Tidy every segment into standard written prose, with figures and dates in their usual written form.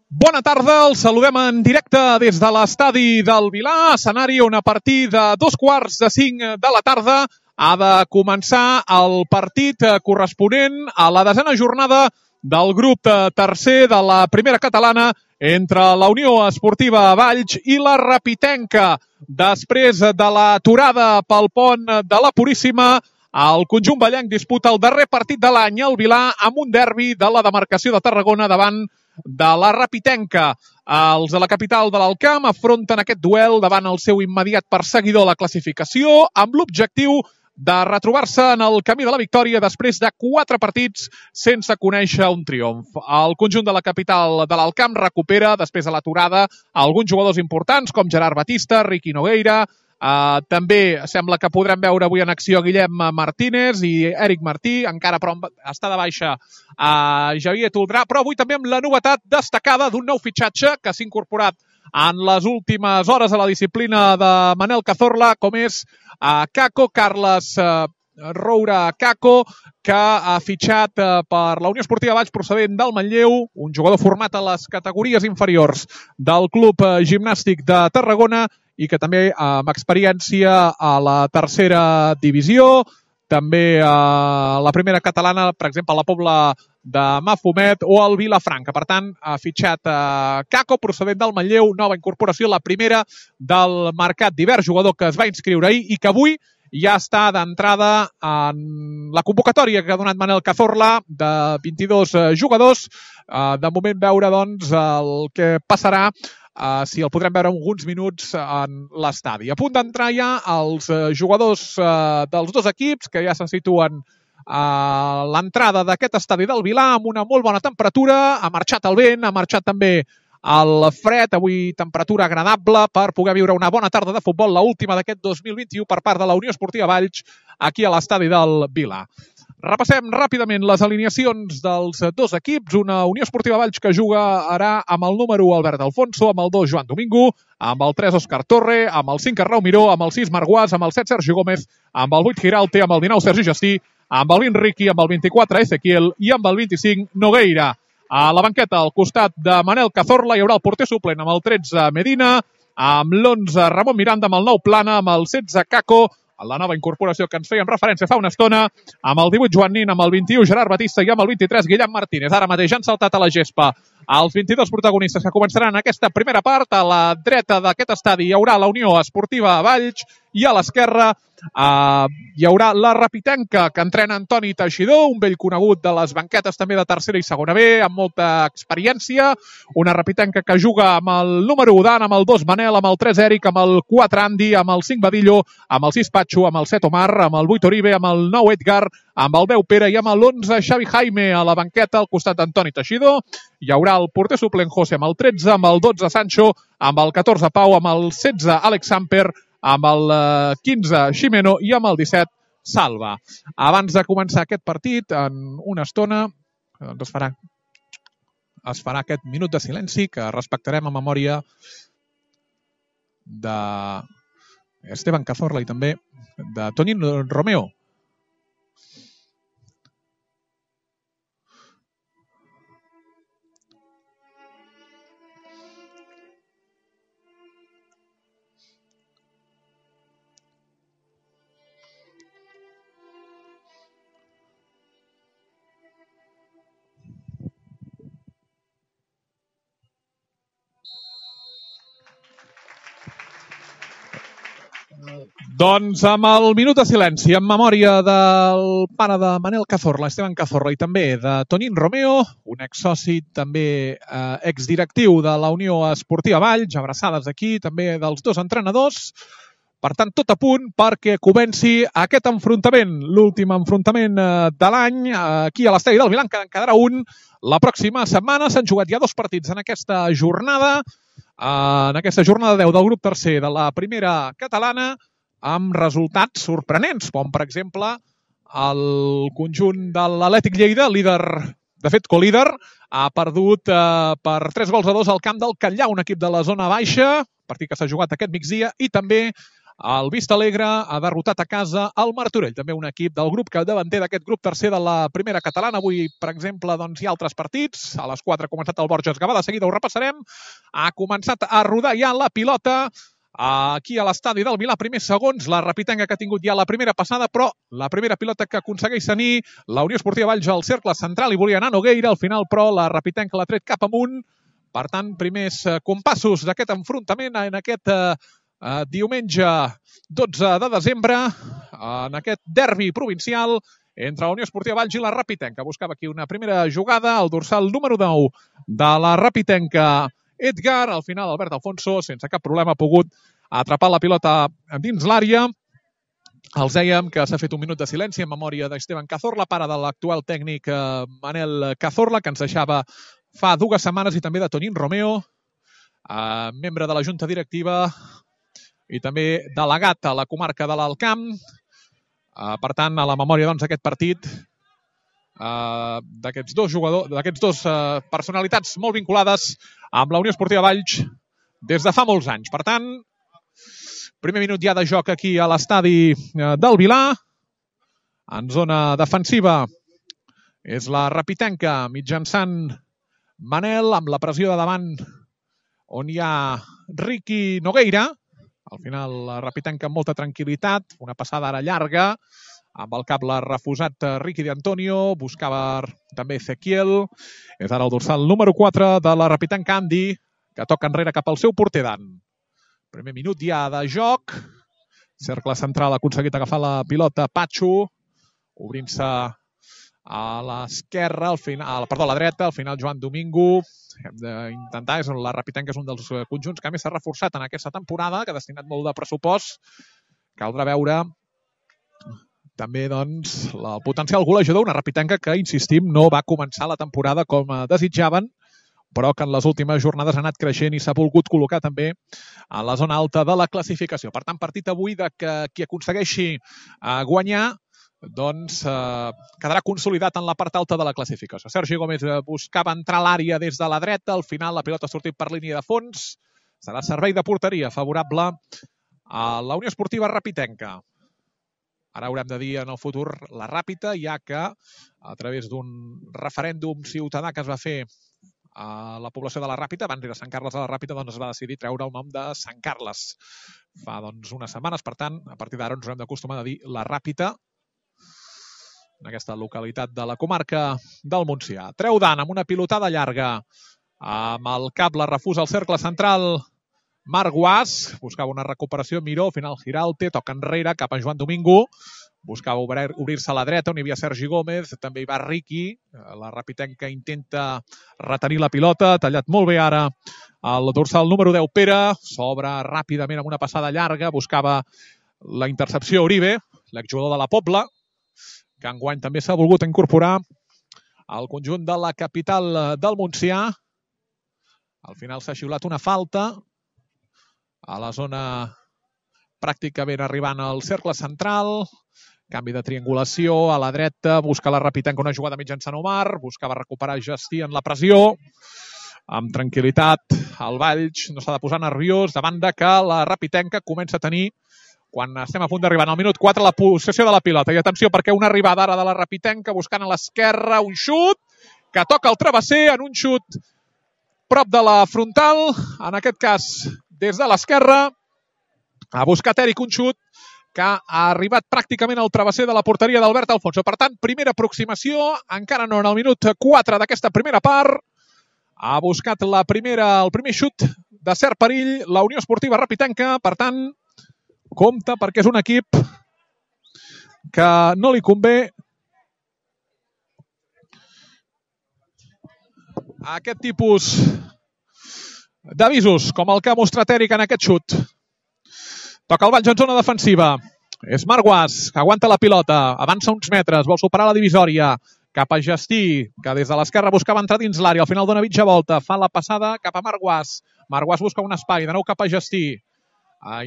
Bona tarda, els saludem en directe des de l'estadi del Vilar, escenari on a partir de 2:45 de la tarda ha de començar el partit corresponent a la 10a jornada del grup tercer de la primera catalana entre la Unió Esportiva Valls i la Rapitenca. Després de l'aturada pel pont de la Puríssima, el conjunt vallenc disputa el darrer partit de l'any al Vilar amb un derbi de la demarcació de Tarragona davant de la Rapitenca. Els de la capital de l'Alcamp afronten aquest duel davant el seu immediat perseguidor a la classificació amb l'objectiu de retrobar-se en el camí de la victòria després de 4 partits sense conèixer un triomf. El conjunt de la capital de l'Alcamp recupera, després de l'aturada, alguns jugadors importants com Gerard Batista, Riqui Nogueira. També sembla que podrem veure avui en acció Guillem Martínez i Eric Martí, encara però està de baixa Javier Toldrà, però avui també amb la novetat destacada d'un nou fitxatge que s'ha incorporat en les últimes hores a la disciplina de Manel Cazorla, com és Caco, Carles Roura Caco, que ha fitxat per la Unió Esportiva Valls procedent del Manlleu, un jugador format a les categories inferiors del Club Gimnàstic de Tarragona i que també amb experiència a la tercera divisió, també a la primera catalana, per exemple, a la Pobla de Mafumet o al Vilafranca. Per tant, ha fitxat Caco, procedent del Manlleu, nova incorporació, la primera del mercat d'hivern, jugador que es va inscriure ahir i que avui ja està d'entrada en la convocatòria que ha donat Manel Cazorla de 22 jugadors. De moment veure doncs el que passarà, si el podrem veure alguns minuts en l'estadi. A punt d'entrar ja els jugadors dels dos equips que ja se situen a l'entrada d'aquest estadi del Vilar amb una molt bona temperatura. Ha marxat el vent, ha marxat també el fred, avui temperatura agradable per poder viure una bona tarda de futbol, l'última d'aquest 2021 per part de la Unió Esportiva Valls aquí a l'estadi del Vilar. Repassem ràpidament les alineacions dels dos equips. Una Unió Esportiva Valls que jugarà amb el número 1 Albert Alfonso, amb el 2 Joan Domingo, amb el 3 Òscar Torre, amb el 5 Arnau Miró, amb el 6 Marc Guas, amb el 7 Sergi Gómez, amb el 8 Giralte, amb el 19 Sergi Gestí, amb el 20 Riqui, amb el 24 Ezequiel i amb el 25 Nogueira. A la banqueta, al costat de Manel Cazorla, hi haurà el porter suplent amb el 13 Medina, amb l'11 Ramon Miranda, amb el 9 Plana, amb el 16 Caco, la nova incorporació que ens fèiem referència fa una estona, amb el 18 Joan Nin, amb el 21 Gerard Batista i amb el 23 Guillem Martínez. Ara mateix han saltat a la gespa els 22 protagonistes que començaran aquesta primera part. A la dreta d'aquest estadi hi haurà la Unió Esportiva Valls i a l'esquerra hi haurà la Rapitenca, que entrena Antoni Teixidor, un vell conegut de les banquetes també de tercera i segona B, amb molta experiència. Una Rapitenca que juga amb el número 1 Dan, amb el 2 Manel, amb el 3 Eric, amb el 4 Andy, amb el 5 Badillo, amb el 6 Patxo, amb el 7 Omar, amb el 8 Oribe, amb el 9 Edgar, amb el 10 Pere i amb l'11 Xavi Jaime a la banqueta al costat d'Antoni Teixidor. Hi haurà el porter suplent José amb el 13, amb el 12 Sancho, amb el 14 Pau, amb el 16 Alex Samper, amb el 15 Ximeno i amb el 17 Salva. Abans de començar aquest partit, en una estona, es farà aquest minut de silenci que respectarem a memòria d'Esteban Cazorla i també de Tonín Romeo. Doncs amb el minut de silenci en memòria del pare de Manel Cazorla, Esteban Cazorla, i també de Tonín Romeo, un exsoci també exdirectiu de la Unió Esportiva Valls, abraçades aquí també dels dos entrenadors. Per tant, tot a punt perquè comenci aquest enfrontament, l'últim enfrontament de l'any aquí a l'estadi del Vilar, que en quedarà un la pròxima setmana. S'han jugat ja 2 partits en aquesta jornada, 10 del grup tercer de la primera catalana, amb resultats sorprenents, com per exemple el conjunt de l'Atlètic Lleida, líder, de fet colíder, ha perdut per 3-2 al camp del Catllà, un equip de la zona baixa, partit que s'ha jugat aquest migdia, i també el Vista Alegre ha derrotat a casa el Martorell, també un equip del grup capdavanter d'aquest grup tercer de la primera catalana. Avui, per exemple, doncs, hi ha altres partits. A les 4 ha començat el Borges Gavà, de seguida ho repassarem. Ha començat a rodar ja la pilota aquí a l'estadi del Vilà. Primers segons, la repitenga que ha tingut ja la primera passada, però la primera pilota que aconsegueix tenir la Unió Esportiva Valls al cercle central i volia anar Nogueira. Al final, però, la repitenga l'ha tret cap amunt. Per tant, primers compassos d'aquest enfrontament en aquest diumenge 12 de desembre, en aquest derbi provincial entre la Unió Esportiva Valls i la Repitenca. Buscava aquí una primera jugada, el dorsal número 9 de la Repitenca, Edgar. Al final, Albert Alfonso, sense cap problema, ha pogut atrapar la pilota dins l'àrea. Els dèiem que s'ha fet un minut de silenci en memòria d'Esteban Cazorla, pare de l'actual tècnic Manel Cazorla, que ens deixava fa 2 setmanes, i també de Tonín Romeo, membre de la Junta Directiva i també delegat a la comarca de l'Alt Camp. Per tant, a la memòria d'aquest partit, d'aquests dos jugadors, d'aquests dos personalitats molt vinculades amb la Unió Esportiva Valls des de fa molts anys. Per tant, primer minut ja de joc aquí a l'estadi del Vilà. En zona defensiva és la Repitenca mitjançant Manel, amb la pressió de davant on hi ha Ricky Nogueira. Al final, la Repitenca amb molta tranquil·litat, una passada ara llarga, amb el cap l'ha refusat Ricky de Antonio, buscava també Ezequiel. És ara el dorsal número 4 de la Repitenca, Andy, que toca enrere cap al seu porter Dan. Primer minut ja de joc. Cercle central ha aconseguit agafar la pilota Patxo, obrint-se a l'esquerra, a la dreta, al final Joan Domingo. Hem d'intentar, la Repitenca és un dels conjunts que més s'ha reforçat en aquesta temporada, que ha destinat molt de pressupost. Caldrà veure també doncs, el potencial golejador, una Repitenca que, insistim, no va començar la temporada com desitjaven, però que en les últimes jornades ha anat creixent i s'ha volgut col·locar també a la zona alta de la classificació. Per tant, partit avui de que qui aconsegueixi guanyar doncs quedarà consolidat en la part alta de la classificació. Sergi Gómez buscava entrar a l'àrea des de la dreta, al final la pilota ha sortit per línia de fons. Serà servei de porteria favorable a la Unió Esportiva Repitenca. Ara haurem de dir en el futur la Ràpita, ja que a través d'un referèndum ciutadà que es va fer a la població de la Ràpita, abans era Sant Carles de la Ràpita, doncs es va decidir treure el nom de Sant Carles fa unes setmanes. Per tant, a partir d'ara ens haurem d'acostumar a dir la Ràpita en aquesta localitat de la comarca del Montsià. Treu Dan amb una pilotada llarga, amb el cap la refusa al cercle central Marc Guas, buscava una recuperació Miró, final Giralte, toca enrere cap a Joan Domingo, buscava obrir-se a la dreta on hi havia Sergi Gómez, també hi va Ricky, la Repitenca intenta retenir la pilota, tallat molt bé ara el dorsal número 10 Pere, s'obre ràpidament amb una passada llarga, buscava la intercepció Uribe, l'exjugador de la Pobla, que enguany també s'ha volgut incorporar al conjunt de la capital del Montsià. Al final s'ha xiulat una falta a la zona pràcticament arribant al cercle central. Canvi de triangulació a la dreta, busca la Repitenca una jugada mitjançant Omar, buscava recuperar Justí en la pressió. Amb tranquil·litat, el Valls no s'ha de posar nerviós davant de que la Repitenca comença a tenir, quan estem a punt d'arribar al minut 4, la possessió de la pilota. I atenció, perquè una arribada ara de la Repitenca buscant a l'esquerra un xut que toca el travesser en un xut prop de la frontal, en aquest cas des de l'esquerra. Ha buscat Eric un xut que ha arribat pràcticament al travesser de la porteria d'Albert Alfonso. Per tant, primera aproximació, encara no en el minut 4 d'aquesta primera part. Ha buscat el primer xut de cert perill la Unió Esportiva Repitenca. Per tant, compte, perquè és un equip que no li convé aquest tipus d'avisos, com el que ha mostrat Eric en aquest xut. Toca el Valls en zona defensiva. És Marc Guas, que aguanta la pilota, avança uns metres, vol superar la divisòria, cap a Justí, que des de l'esquerra buscava entrar dins l'àrea, al final dona mitja volta, fa la passada cap a Marc Guas. Marc Guas busca un espai, de nou cap a Justí.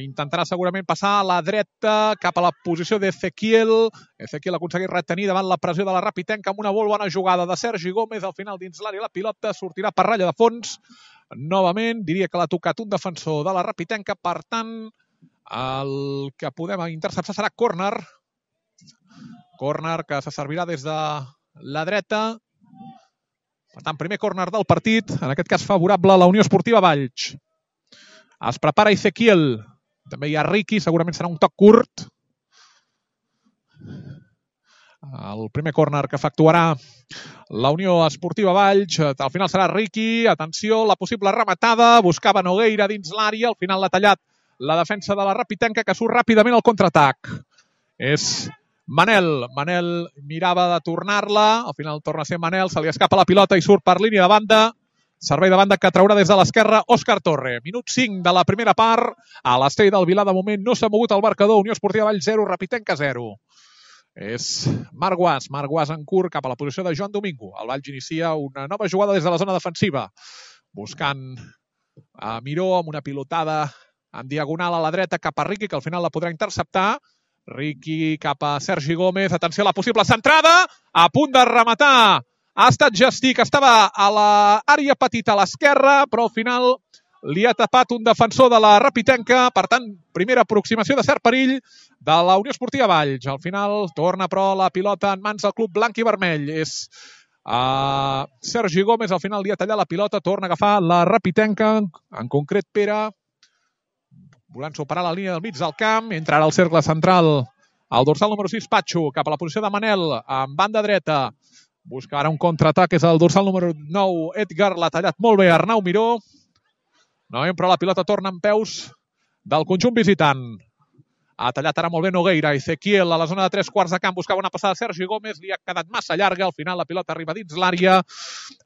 Intentarà segurament passar a la dreta cap a la posició d'Ezequiel. Ezequiel aconsegueix retenir davant la pressió de la Repitenca amb una molt bona jugada de Sergi Gómez. Al final dins l'àrea la pilota sortirà per ratlla de fons. Novament, diria que l'ha tocat un defensor de la Repitenca. Per tant, El que podem interceptar serà córner. Córner que se servirà des de la dreta. Per tant, primer córner del partit, en aquest cas favorable a la Unió Esportiva Valls. Es prepara Ezequiel. També hi ha Riqui, segurament serà un toc curt. El primer córner que efectuarà la Unió Esportiva Valls. Al final serà Riqui. Atenció, la possible rematada. Buscava Nogueira dins l'àrea. Al final l'ha tallat la defensa de la Rapitenca, que surt ràpidament al contraatac. És Manel. Manel mirava de tornar-la. Al final torna a ser Manel. Se li escapa la pilota i surt per línia de banda. Servei de banda que traurà des de l'esquerra Òscar Torre. Minut 5 de la primera part. A l'Estadi del Vilar, de moment, no s'ha mogut el marcador. Unió Esportiva Valls 0, Rapitenca 0. És Marc Guas en curt cap a la posició de Joan Domingo. El Valls inicia una nova jugada des de la zona defensiva. Buscant a Miró amb una pilotada en diagonal a la dreta cap a Riqui, que al final la podrà interceptar. Riqui cap a Sergi Gómez. Atenció a la possible centrada. A punt de rematar. Ha estat Gestí, que estava a l'àrea petita a l'esquerra, però al final li ha tapat un defensor de la Rapitenca. Per tant, primera aproximació de cert perill de la Unió Esportiva Valls. Al final torna, però, la pilota en mans del club blanc i vermell. És Sergi Gómez, al final li ha tallat la pilota, torna a agafar la Rapitenca, en concret Pere, volent superar la línia del mig del camp. Entra ara al cercle central el dorsal número 6, Patxo, cap a la posició de Manel, en banda dreta. Busca ara un contraatac, és el dorsal número 9, Edgar, l'ha tallat molt bé Arnau Miró. No, però la pilota torna en peus del conjunt visitant. Ha tallat ara molt bé Nogueira. Ezequiel a la zona de 3/4 de camp buscava una passada de Sergi Gómez, li ha quedat massa llarga. Al final la pilota arriba dins l'àrea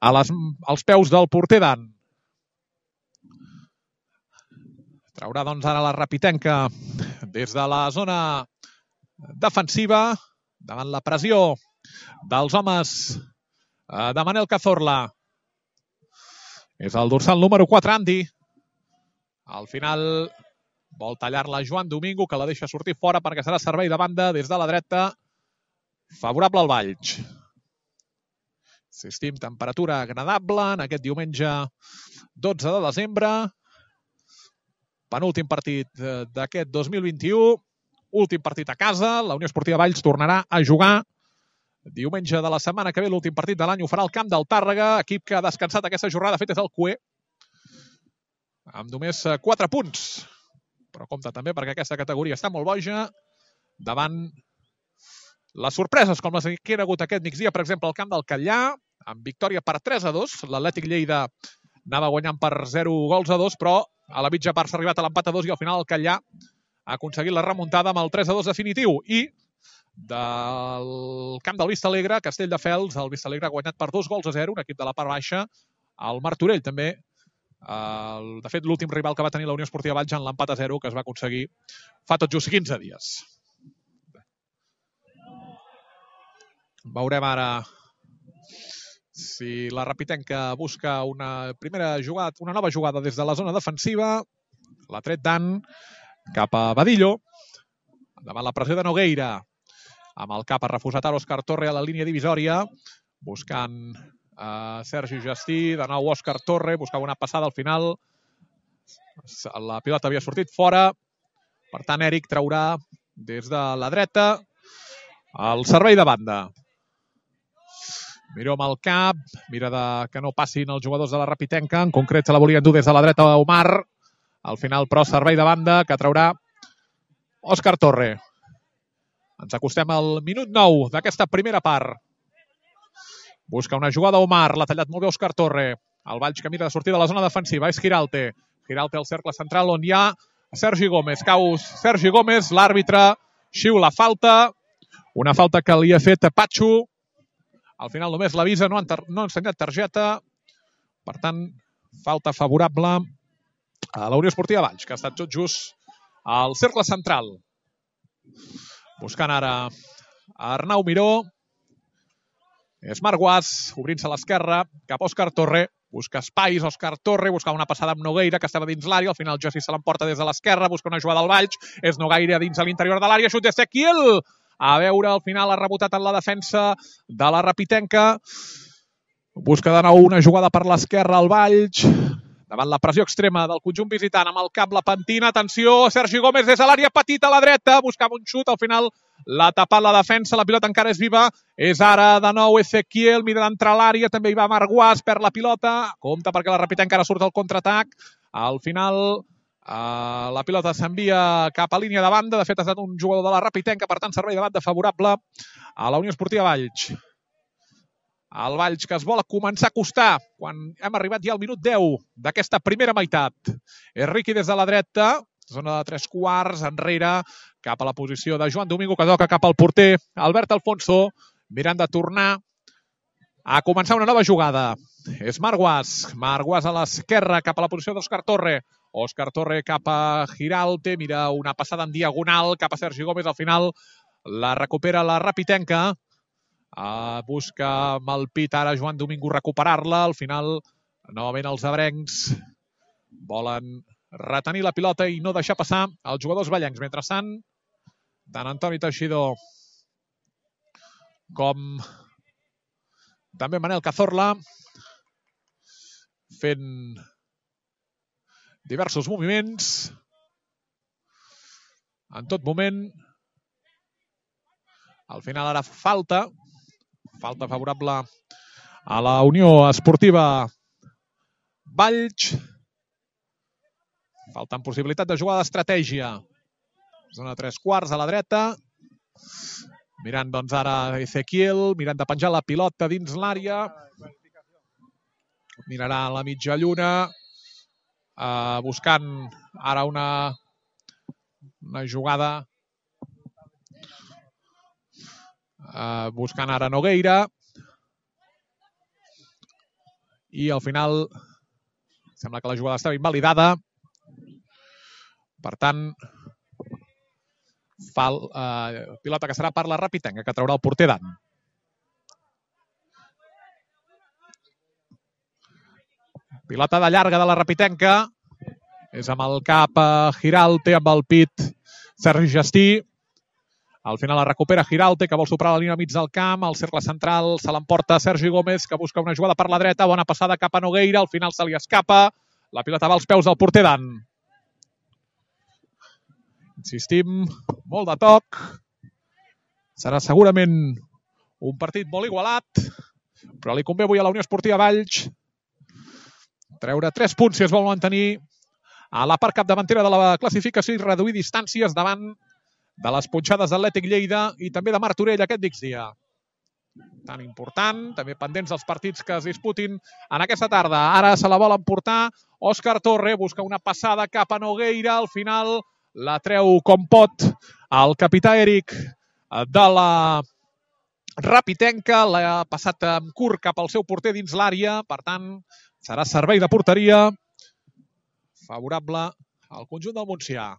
als peus del porter Dan. Traurà doncs ara la Rapitenca des de la zona defensiva davant la pressió dels homes de Manel Cazorla. És el dorsal número 4, Andy. Al final vol tallar-la Joan Domingo, que la deixa sortir fora perquè serà servei de banda des de la dreta favorable al Valls. Assistim, temperatura agradable en aquest diumenge 12 de desembre. Penúltim partit d'aquest 2021. Últim partit a casa. La Unió Esportiva Valls tornarà a jugar diumenge de la setmana que ve. L'últim partit de l'any ho farà al camp del Tàrrega, equip que ha descansat aquesta jornada. De fet, és el Cué, amb només 4 punts. Però compte també perquè aquesta categoria està molt boja davant les sorpreses, com les que hi ha hagut aquest migdia, per exemple, al camp del Catllà, amb victòria per 3-2. L'Atlètic Lleida anava guanyant per 0-2, però a la mitja part s'ha arribat a l'empat a 2 i al final el Catllà ha aconseguit la remuntada amb el 3-2 definitiu. I del camp del Vistalegre, Castelldefels, el Vistalegre ha guanyat per 2-0, un equip de la part baixa. El Martorell també. De fet, l'últim rival que va tenir la Unió Esportiva Valls en l'empat a 0, que es va aconseguir fa tot just 15 dies. Veurem ara si la Rapitenca busca una nova jugada des de la zona defensiva. L'ha tret Dan cap a Badillo, davant la pressió de Nogueira. Amb el cap ha refusat Òscar Torre a la línia divisòria, buscant Sergi Gestí, de nou Òscar Torre, buscava una passada al final. La pilota havia sortit fora. Per tant, Eric traurà des de la dreta el servei de banda. Miró amb el cap, mira que no passin els jugadors de la Rapitenca. En concret, se la volien dur des de la dreta a Omar. Al final, però, servei de banda que traurà Òscar Torre. Ens acostem al minut 9 d'aquesta primera part. Busca una jugada Omar, l'ha tallat molt bé Òscar Torre. El Valls que mira de sortir de la zona defensiva és Giralte. Giralte al cercle central on hi ha Sergi Gómez. Cau Sergi Gómez, l'àrbitre xiula falta. Una falta que li ha fet Patxo. Al final només l'avisa, no ha ensenyat targeta. Per tant, falta favorable a la Unió Esportiva Valls, que ha estat tot just al cercle central. Buscant ara Arnau Miró. És Marc Guas, obrint-se a l'esquerra, cap a Òscar Torre. Busca espais, Òscar Torre, buscava una passada amb Nogueira, que estava dins l'àrea. Al final, Jossi se l'emporta des de l'esquerra, busca una jugada al Valls. És Nogueira dins a l'interior de l'àrea, xut d'Ezequiel. A veure, al final ha rebotat en la defensa de la Rapitenca. Busca de nou una jugada per l'esquerra al Valls. davant la pressió extrema del conjunt visitant, amb el cap la pentina, atenció, Sergi Gómez des de l'àrea petita a la dreta, buscava un xut, al final l'ha tapat la defensa, la pilota encara és viva, és ara de nou Ezequiel, mira d'entrar a l'àrea, també hi va Marc Guas, perd la pilota, compta perquè la Rapitenca encara surt al contraatac, al final la pilota s'envia cap a línia de banda, de fet ha estat un jugador de la Rapitenca, per tant servei de banda favorable a la Unió Esportiva Valls. El Valls que es vol començar a acostar quan hem arribat ja al minut 10 d'aquesta primera meitat. És Riqui des de la dreta, zona de 3/4, enrere, cap a la posició de Joan Domingo, que toca cap al porter Albert Alfonso, mirant de tornar a començar una nova jugada. És Marc Guas a l'esquerra, cap a la posició d'Òscar Torre. Òscar Torre cap a Giralte, mira una passada en diagonal cap a Sergi Gómez, al final la recupera la Rapitenca. Busca amb el pit ara Joan Domingo recuperar-la, al final novament els abrencs volen retenir la pilota i no deixar passar els jugadors ballencs. Mentrestant, tant Antoni Teixidor com també Manel Cazorla fent diversos moviments en tot moment. Al final ara falta favorable a la Unió Esportiva Valls. Falta amb possibilitat de jugar d'estratègia. Zona 3/4 a la dreta. Mirant doncs ara Ezequiel, mirant de penjar la pilota dins l'àrea. Mirarà a la mitja lluna, buscant ara una jugada, buscant ara Nogueira, i al final sembla que la jugada estava invalidada. Per tant, pilota que serà per la Rapitenca, que traurà el porter Dan. Pilota de llarga de la Rapitenca. És amb el cap Giralte, amb el pit Sergi Gestí. Al final la recupera Giralte, que vol superar la línia mig del camp. Al cercle central se l'emporta Sergi Gómez, que busca una jugada per la dreta. Bona passada cap a Nogueira. Al final se li escapa. La pilota va als peus del porter Dan. Insistim, molt de toc. Serà segurament un partit molt igualat, però li convé avui a la Unió Esportiva Valls treure 3 punts si es vol mantenir a la part capdavantera de la classificació i reduir distàncies davant de les punxades d'Atlètic Lleida i també de Martorell aquest migdia. Tan important, també pendents dels partits que es disputin en aquesta tarda. Ara se la vol emportar Òscar Torre, busca una passada cap a Nogueira, al final la treu com pot el capità Eric de la Rapitenca, l'ha passat amb curt cap al seu porter dins l'àrea, per tant serà servei de porteria favorable al conjunt del Montsià.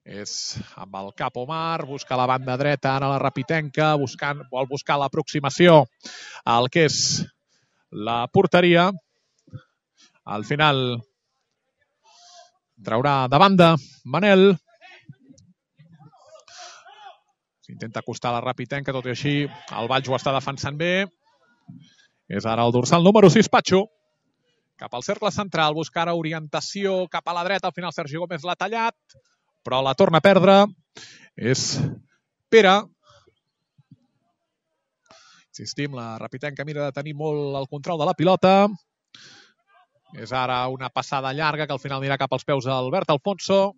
És amb el cap Omar, busca la banda dreta ara la Rapitenca, vol buscar l'aproximació al que és la porteria. Al final traurà de banda Manel. S'intenta acostar la Rapitenca, tot i així el Valls ho està defensant bé. És ara el dorsal número 6, Patxo. Cap al cercle central, busca ara orientació cap a la dreta. Al final Sergi Gómez l'ha tallat, però la torna a perdre. És Pere. Insistim, la Rapitenca mira de tenir molt el control de la pilota. És ara una passada llarga que al final anirà cap als peus d'Albert Alfonso.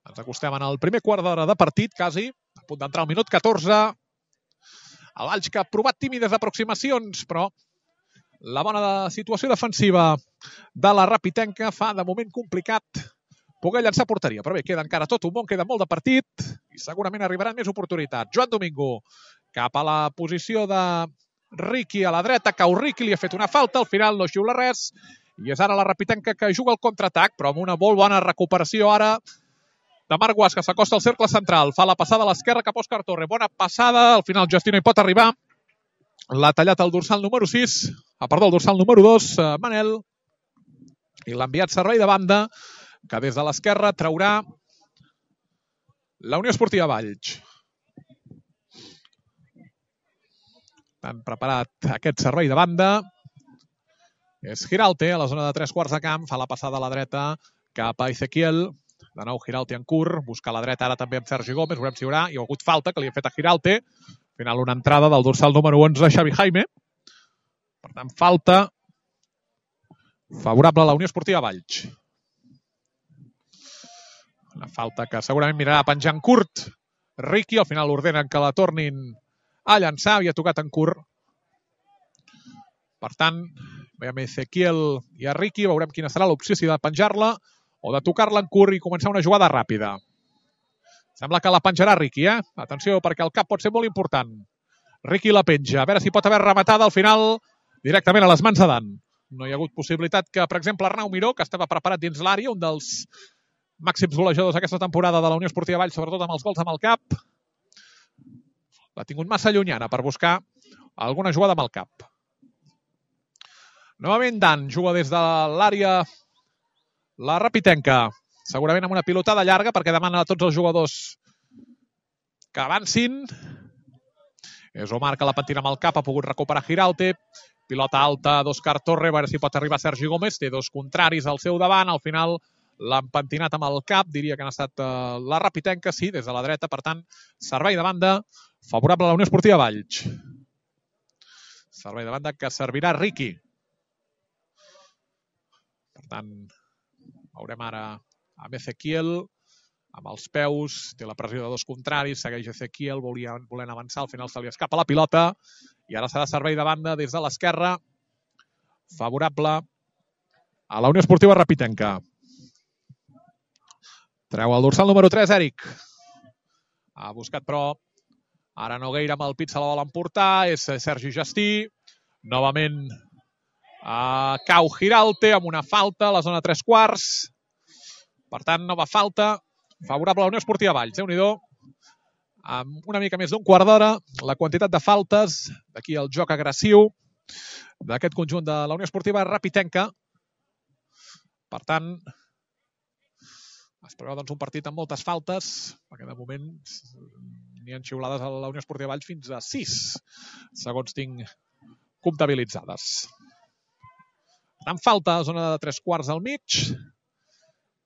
Ens acostem en el primer quart d'hora de partit, quasi. A punt d'entrar al minut 14. El Valls que ha provat tímides aproximacions, però la bona situació defensiva de la Rapitenca fa de moment complicat poder llançar porteria. Però bé, queda encara tot un món, queda molt de partit i segurament arribaran més oportunitats. Joan Domingo cap a la posició de Riqui a la dreta. Cau Riqui, li ha fet una falta, al final no xiula res i és ara la Rapitenca que juga el contraatac, però amb una molt bona recuperació ara de Marc Guas, que s'acosta al cercle central. Fa la passada a l'esquerra cap a Òscar Torre. Bona passada, al final Gestí no hi pot arribar. L'ha tallat el dorsal número 6, el dorsal número 2, Manel, i l'ha enviat servei de banda, que des de l'esquerra traurà la Unió Esportiva Valls. Han preparat aquest servei de banda. És Giralte, a la zona de 3 quarts de camp, fa la passada a la dreta cap a Ezequiel. De nou Giralte en curt, busca a la dreta ara també amb Sergi Gómez, veurem si hi ha hagut falta que li ha fet a Giralte. Al final una entrada del dorsal número 11, Xavi Jaime. Per tant, falta favorable a la Unió Esportiva Valls. Una falta que segurament mirarà penjant curt. Riqui, al final ordenen que la tornin a llançar, havia tocat en curt. Per tant, veiem Ezequiel i a Riqui, veurem quina serà l'opció, si de penjar-la o de tocar-la en curt i començar una jugada ràpida. Sembla que la penjarà Riqui, Atenció, perquè el cap pot ser molt important. Riqui la penja, a veure si pot haver rematada al final directament a les mans de Dan. No hi ha hagut possibilitat que, per exemple, Arnau Miró, que estava preparat dins l'àrea, un dels màxims golejadors aquesta temporada de la Unió Esportiva Valls, sobretot amb els gols amb el cap, l'ha tingut massa llunyana per buscar alguna jugada amb el cap. Novament Dan juga des de l'àrea la Rapitenca, segurament amb una pilotada llarga perquè demana a tots els jugadors que avancin. És Omar que la pentina amb el cap, ha pogut recuperar Giralte. Pilota alta d'Òscar Torre, a veure si pot arribar Sergi Gómez. Té dos contraris al seu davant, al final l'han pentinat amb el cap, diria que han estat la Rapitenca, sí, des de la dreta, per tant, servei de banda favorable a la Unió Esportiva Valls. Servei de banda que servirà Riqui. Per tant, veurem ara amb Ezequiel, amb els peus, té la pressió de dos contraris, segueix Ezequiel, volent avançar, al final se li escapa la pilota, i ara serà servei de banda des de l'esquerra, favorable a la Unió Esportiva Rapitenca. Treu el dorsal número 3, Eric. Ha buscat, però ara Nogueira amb el pit se la vol emportar, és Sergi Gestí. Novament cau Giralte amb una falta a la zona 3 quarts. Per tant, nova falta favorable a la Unió Esportiva Valls. Déu-n'hi-do, amb una mica més d'un quart d'hora, la quantitat de faltes, d'aquí el joc agressiu d'aquest conjunt de la Unió Esportiva Rapitenca. Per tant, es preveu un partit amb moltes faltes, perquè de moment n'hi ha xiulades a la Unió Esportiva Valls fins a 6, segons tinc comptabilitzades. Per tant, falta a zona de 3 quarts al mig.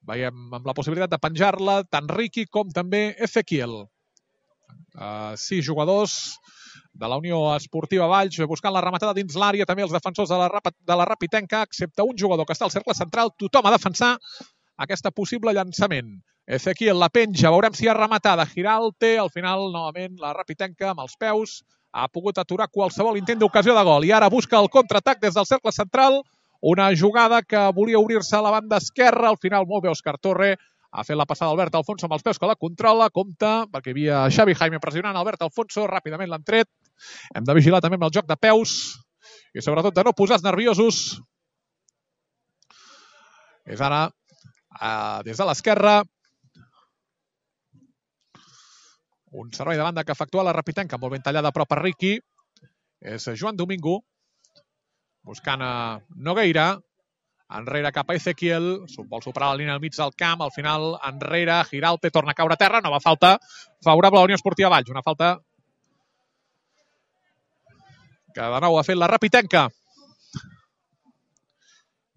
Veiem amb la possibilitat de penjar-la tant Riqui com també Ezequiel. 6 jugadors de la Unió Esportiva Valls buscant la rematada dins l'àrea, també els defensors de la Rapitenca, excepte un jugador que està al cercle central. Tothom a defensar aquesta possible llançament. Ezequiel la penja, veurem si hi ha rematada. Giralte, al final, novament, la Rapitenca amb els peus ha pogut aturar qualsevol intent d'ocasió de gol. I ara busca el contraatac des del cercle central. Una jugada que volia obrir-se a la banda esquerra. Al final, molt bé, Òscar Torre ha fet la passada Albert Alfonso amb els peus que la controla. Compte, perquè hi havia Xavi Jaime pressionant Albert Alfonso. Ràpidament l'han tret. Hem de vigilar també amb el joc de peus i sobretot de no posar nerviosos. És ara des de l'esquerra un servei de banda que efectua la Rapitenca, molt ben tallada a prop a Riqui. És Joan Domingo buscant a Nogueira, enrere cap a Ezequiel, vol superar la línia al mig del camp, al final enrere, Giralte torna a caure a terra, nova falta favorable a la Unió Esportiva Valls, una falta que de nou ha fet la Rapitenca.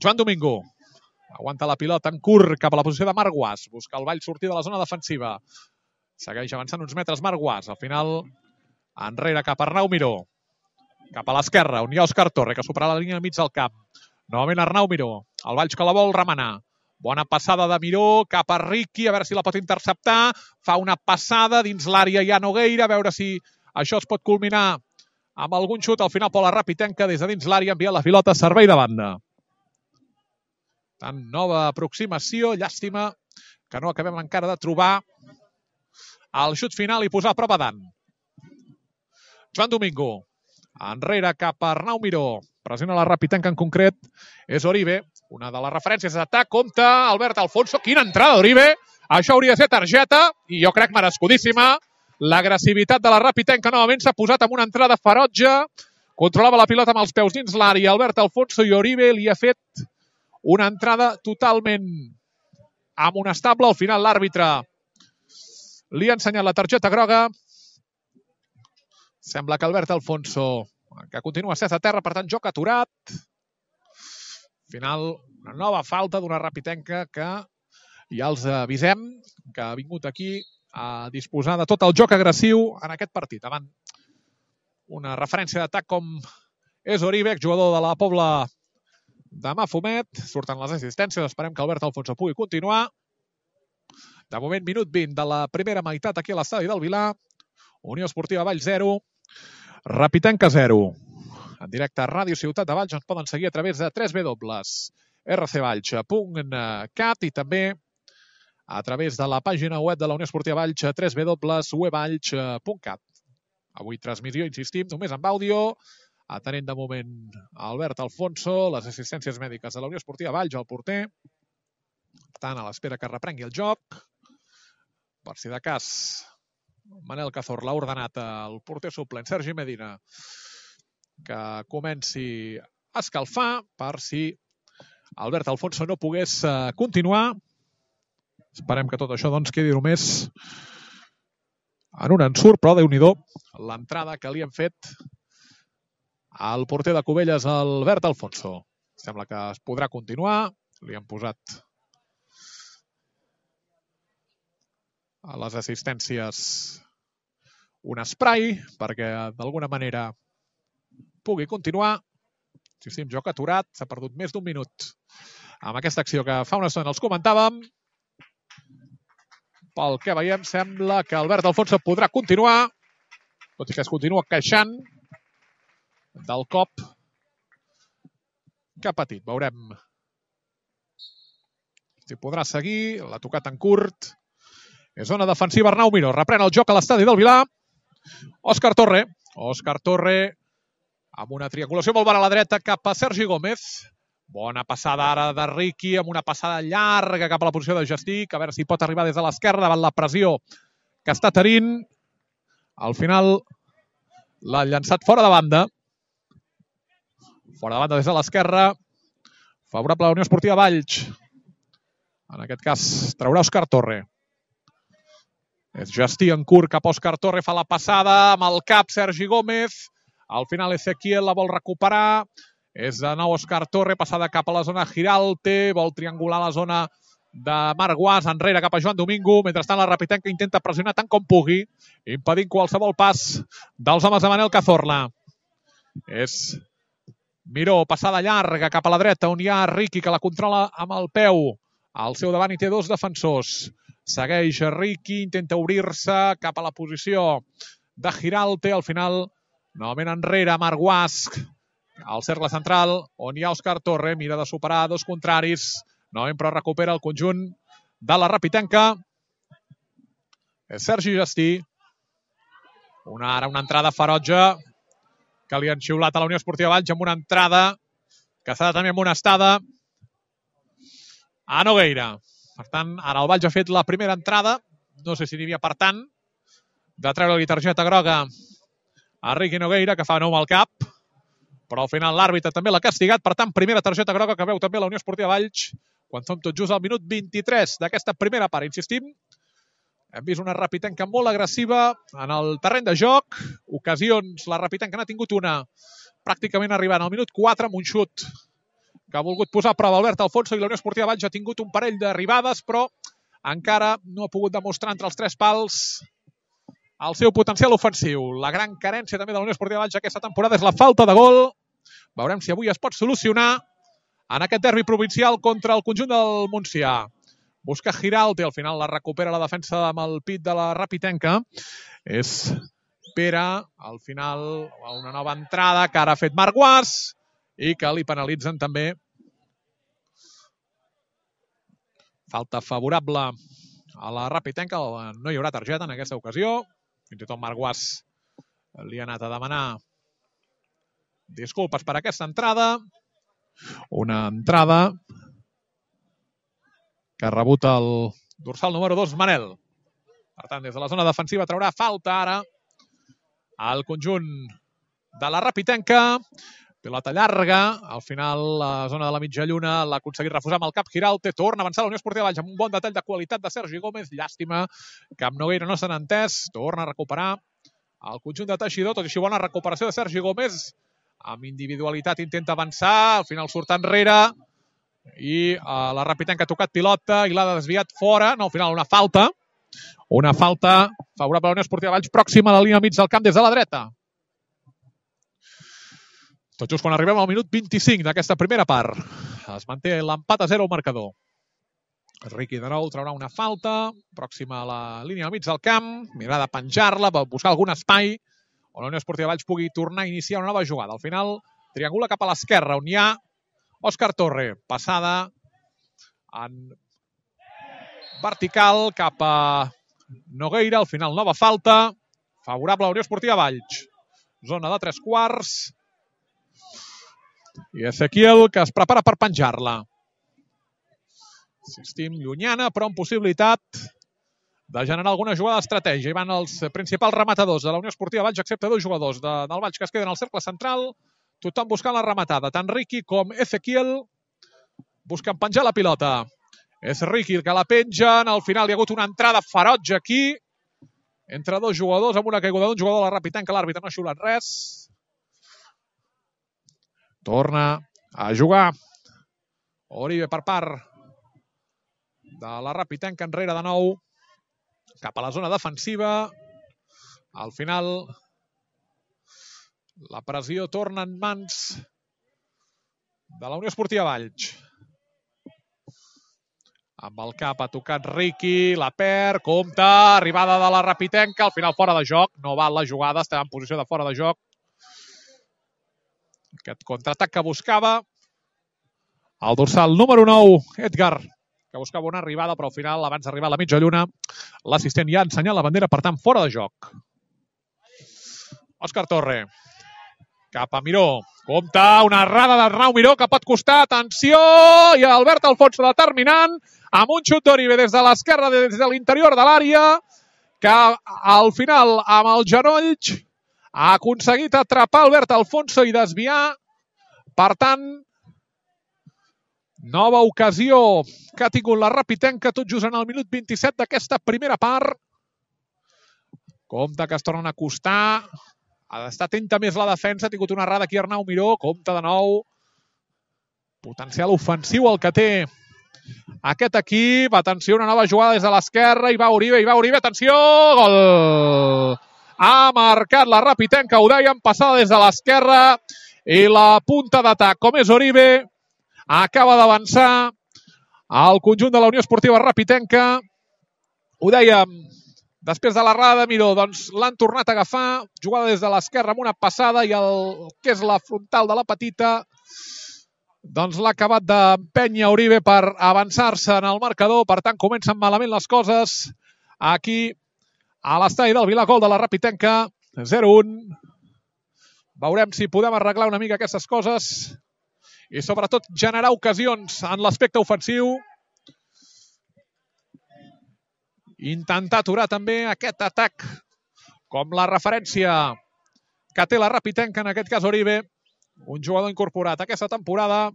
Joan Domingo aguanta la pilota en curt cap a la posició de Marc Guas, busca el Valls sortir de la zona defensiva, segueix avançant uns metres Marc Guas, al final enrere cap a Arnau Miró, cap a l'esquerra, on hi ha Òscar Torre, que supera la línia al mig del camp. Novament Arnau Miró, el Valls que la vol remenar. Bona passada de Miró cap a Riqui, a veure si la pot interceptar. Fa una passada dins l'àrea ja Nogueira, a veure si això es pot culminar amb algun xut. Al final, la Rapitenca des de dins l'àrea envia la pilota a servei de banda. Tant nova aproximació, llàstima que no acabem encara de trobar el xut final i posar a prova Dan. Joan Domingo, enrere cap a Arnau Miró, pressiona la Rapitenca en concret, és Oribe, una de les referències d'atac, compte Albert Alfonso, quina entrada d'Oribe, això hauria de ser targeta, i jo crec merescudíssima, l'agressivitat de la Rapitenca novament s'ha posat amb una entrada ferotge, controlava la pilota amb els peus dins l'àrea, Albert Alfonso, i Oribe li ha fet una entrada totalment amonestable, al final l'àrbitre li ha ensenyat la targeta groga. Sembla que Albert Alfonso, que continua estès a terra, per tant, joc aturat. Final, una nova falta d'una Rapitenca que ja els avisem que ha vingut aquí a disposar de tot el joc agressiu en aquest partit. Davant una referència d'atac com és Oribe, jugador de la Pobla de Mafumet. Surten les assistències, esperem que Albert Alfonso pugui continuar. De moment, minut 20 de la primera meitat aquí a l'estadi del Vilar. Unió Esportiva Valls 0, Rapitenca 0. En directe a Ràdio Ciutat de Valls ens poden seguir a través de www.rcvalls.cat i també a través de la pàgina web de la Unió Esportiva Valls, www.uevalls.cat. Avui transmissió, insistim, només amb àudio, atenent de moment a Albert Alfonso, les assistències mèdiques de la Unió Esportiva Valls, el porter. Per tant, a l'espera que reprengui el joc. Per si de cas, Manel Cazorla ha ordenat al porter suplent, Sergi Medina, que comenci a escalfar per si Albert Alfonso no pogués continuar. Esperem que tot això doncs, quedi només en un ensurt, però Déu-n'hi-do l'entrada que li han fet al porter de Cubelles, Albert Alfonso. Sembla que es podrà continuar. Li han posat a les assistències un spray perquè d'alguna manera pugui continuar. Insistim, joc aturat, s'ha perdut més d'un minut amb aquesta acció que fa una estona els comentàvem. Pel que veiem, sembla que Albert Alfonso podrà continuar, tot i que es continua queixant del cop que ha patit. Veurem si podrà seguir. L'ha tocat en curt. És zona defensiva Arnau Miró. Reprèn el joc a l'estadi del Vilar. Òscar Torre. Òscar Torre amb una triangulació molt bona a la dreta cap a Sergi Gómez. Bona passada ara de Riqui, amb una passada llarga cap a la posició de Gestic. A veure si pot arribar des de l'esquerra davant la pressió que està tenint. Al final l'ha llançat fora de banda. Fora de banda des de l'esquerra. Favorable a la Unió Esportiva Valls. En aquest cas traurà Òscar Torre. És Gestic en curt cap a Òscar Torre. Fa la passada amb el cap Sergi Gómez. Al final Ezequiel la vol recuperar. És de nou Òscar Torre, passada cap a la zona Giralte, vol triangular la zona de Marc Guas, enrere cap a Joan Domingo. Mentrestant la Rapitenca intenta pressionar tant com pugui, impedint qualsevol pas dels homes de Manel Cazorla. És Miró, passada llarga cap a la dreta, on hi ha Riqui, que la controla amb el peu. Al seu davant hi té dos defensors. Segueix Riqui, intenta obrir-se cap a la posició de Giralte. Al final, novament enrere, Marc Guas, al cercle central, on hi ha Òscar Torre, mira de superar dos contraris. Novament, però recupera el conjunt de la Rapitenca. És Sergi Gestic. Ara una entrada ferotge que li han xiulat a la Unió Esportiva Valls amb una entrada que s'ha de tenir amonestada a Nogueira. Per tant, ara el Valls ha fet la primera entrada. No sé si n'hi havia per tant de treure-li targeta groga a Riqui Nogueira, que fa nou al cap. Però al final l'àrbitre també l'ha castigat. Per tant, primera targeta groga que veu també la Unió Esportiva Valls quan som tot just al minut 23 d'aquesta primera part. Insistim, hem vist una Rapitenca molt agressiva en el terreny de joc. Ocasions, la Rapitenca n'ha tingut una pràcticament arribant al minut 4 amb un xut que ha volgut posar a prova Albert Alfonso, i la Unió Esportiva Valls ha tingut un parell d'arribades, però encara no ha pogut demostrar entre els tres pals el seu potencial ofensiu. La gran carència també de la Unió Esportiva Valls aquesta temporada és la falta de gol. Veurem si avui es pot solucionar en aquest derbi provincial contra el conjunt del Montsià. Busca Giralte, al final la recupera la defensa amb el pit de la Rapitenca. És Pere, al final una nova entrada que ara ha fet Marc Guas i que li penalitzen també. Falta favorable a la Rapitenca. No hi haurà targeta en aquesta ocasió. Fins i tot Marc Guas li ha anat a demanar disculpes per aquesta entrada. Una entrada que ha rebut el dorsal número 2, Manel. Per tant, des de la zona defensiva traurà falta ara al conjunt de la Rapitenca. Pilota llarga, al final la zona de la mitja lluna l'ha aconseguit refusar amb el cap Giralte. Torna a avançar la Unió Esportiva Valls amb un bon detall de qualitat de Sergi Gómez. Llàstima que amb Nogueira no s'han entès. Torna a recuperar el conjunt de Teixidor, tot i així bona recuperació de Sergi Gómez. Amb individualitat intenta avançar, al final surt enrere. I la Rapitenca ha tocat pilota i l'ha desviat fora. No, al final una falta. Una falta favorable a la Unió Esportiva Valls, pròxima a la línia mig del camp des de la dreta. Tot just quan arribem al minut 25 d'aquesta primera part. Es manté l'empat a 0 al marcador. Riqui de nou traurà una falta, pròxima a la línia al mig del camp, mirarà de penjar-la, buscar algun espai on la Unió Esportiva Valls pugui tornar a iniciar una nova jugada. Al final, triangula cap a l'esquerra, on hi ha Òscar Torre, passada en vertical cap a Nogueira, al final nova falta, favorable a la Unió Esportiva Valls. Zona de 3/4. I Ezequiel, que es prepara per penjar-la. Insistim, llunyana, però amb possibilitat de generar alguna jugada d'estratègia. Hi van els principals rematadors de la Unió Esportiva Valls, excepte 2 jugadors del Valls que es queden al cercle central. Tothom buscant la rematada. Tant Riqui com Ezequiel busquen penjar la pilota. És Riqui el que la pengen. Al final hi ha hagut una entrada ferotge aquí entre 2 jugadors amb una caiguda d'un jugador de la Rapitenca. L'àrbitre no ha xiulat res. Torna a jugar Oribe per part de la Rapitenca, enrere de nou cap a la zona defensiva. Al final la pressió torna en mans de la Unió Esportiva Valls. Amb el cap ha tocat Riqui, la perd, compta, arribada de la Rapitenca, al final fora de joc, no val la jugada, estava en posició de fora de joc. Aquest contraatac que buscava el dorsal número 9, Edgar, que buscava una arribada, però al final, abans d'arribar a la mitja lluna, l'assistent ja ha ensenyat la bandera, per tant, fora de joc. Òscar Torre, cap a Miró, compta, una errada d'Arnau Miró que pot costar, atenció, i Albert Alfonso determinant, amb un xut d'Oribe des de l'esquerra, des de l'interior de l'àrea, que al final, amb el genoll, ha aconseguit atrapar Albert Alfonso i desviar. Per tant, nova ocasió que ha tingut la Rapitenca tot just en el minut 27 d'aquesta primera part. Compte que es tornen a acostar. Ha d'estar atenta més la defensa. Ha tingut una errada aquí Arnau Miró. Compte de nou. Potencial ofensiu el que té aquest equip. Atenció, una nova jugada des de l'esquerra. Hi va Oribe. Atenció! Gol! Ha marcat la Rapitenca, ho dèiem, passada des de l'esquerra. I la punta d'atac, com és Oribe, acaba d'avançar al conjunt de la Unió Esportiva Rapitenca. Ho dèiem, després de l'errada de Miró, doncs l'han tornat a agafar, jugada des de l'esquerra amb una passada i el que és la frontal de la petita, doncs l'ha acabat d'empènyer Oribe per avançar-se en el marcador. Per tant, comencen malament les coses aquí a l'estadi del Vilagol de la Rapitenca. 0-1. Veurem si podem arreglar una mica aquestes coses i sobretot generar ocasions en l'aspecte ofensiu. Intentar aturar també aquest atac com la referència que té la Rapitenca, en aquest cas Oribe, un jugador incorporat aquesta temporada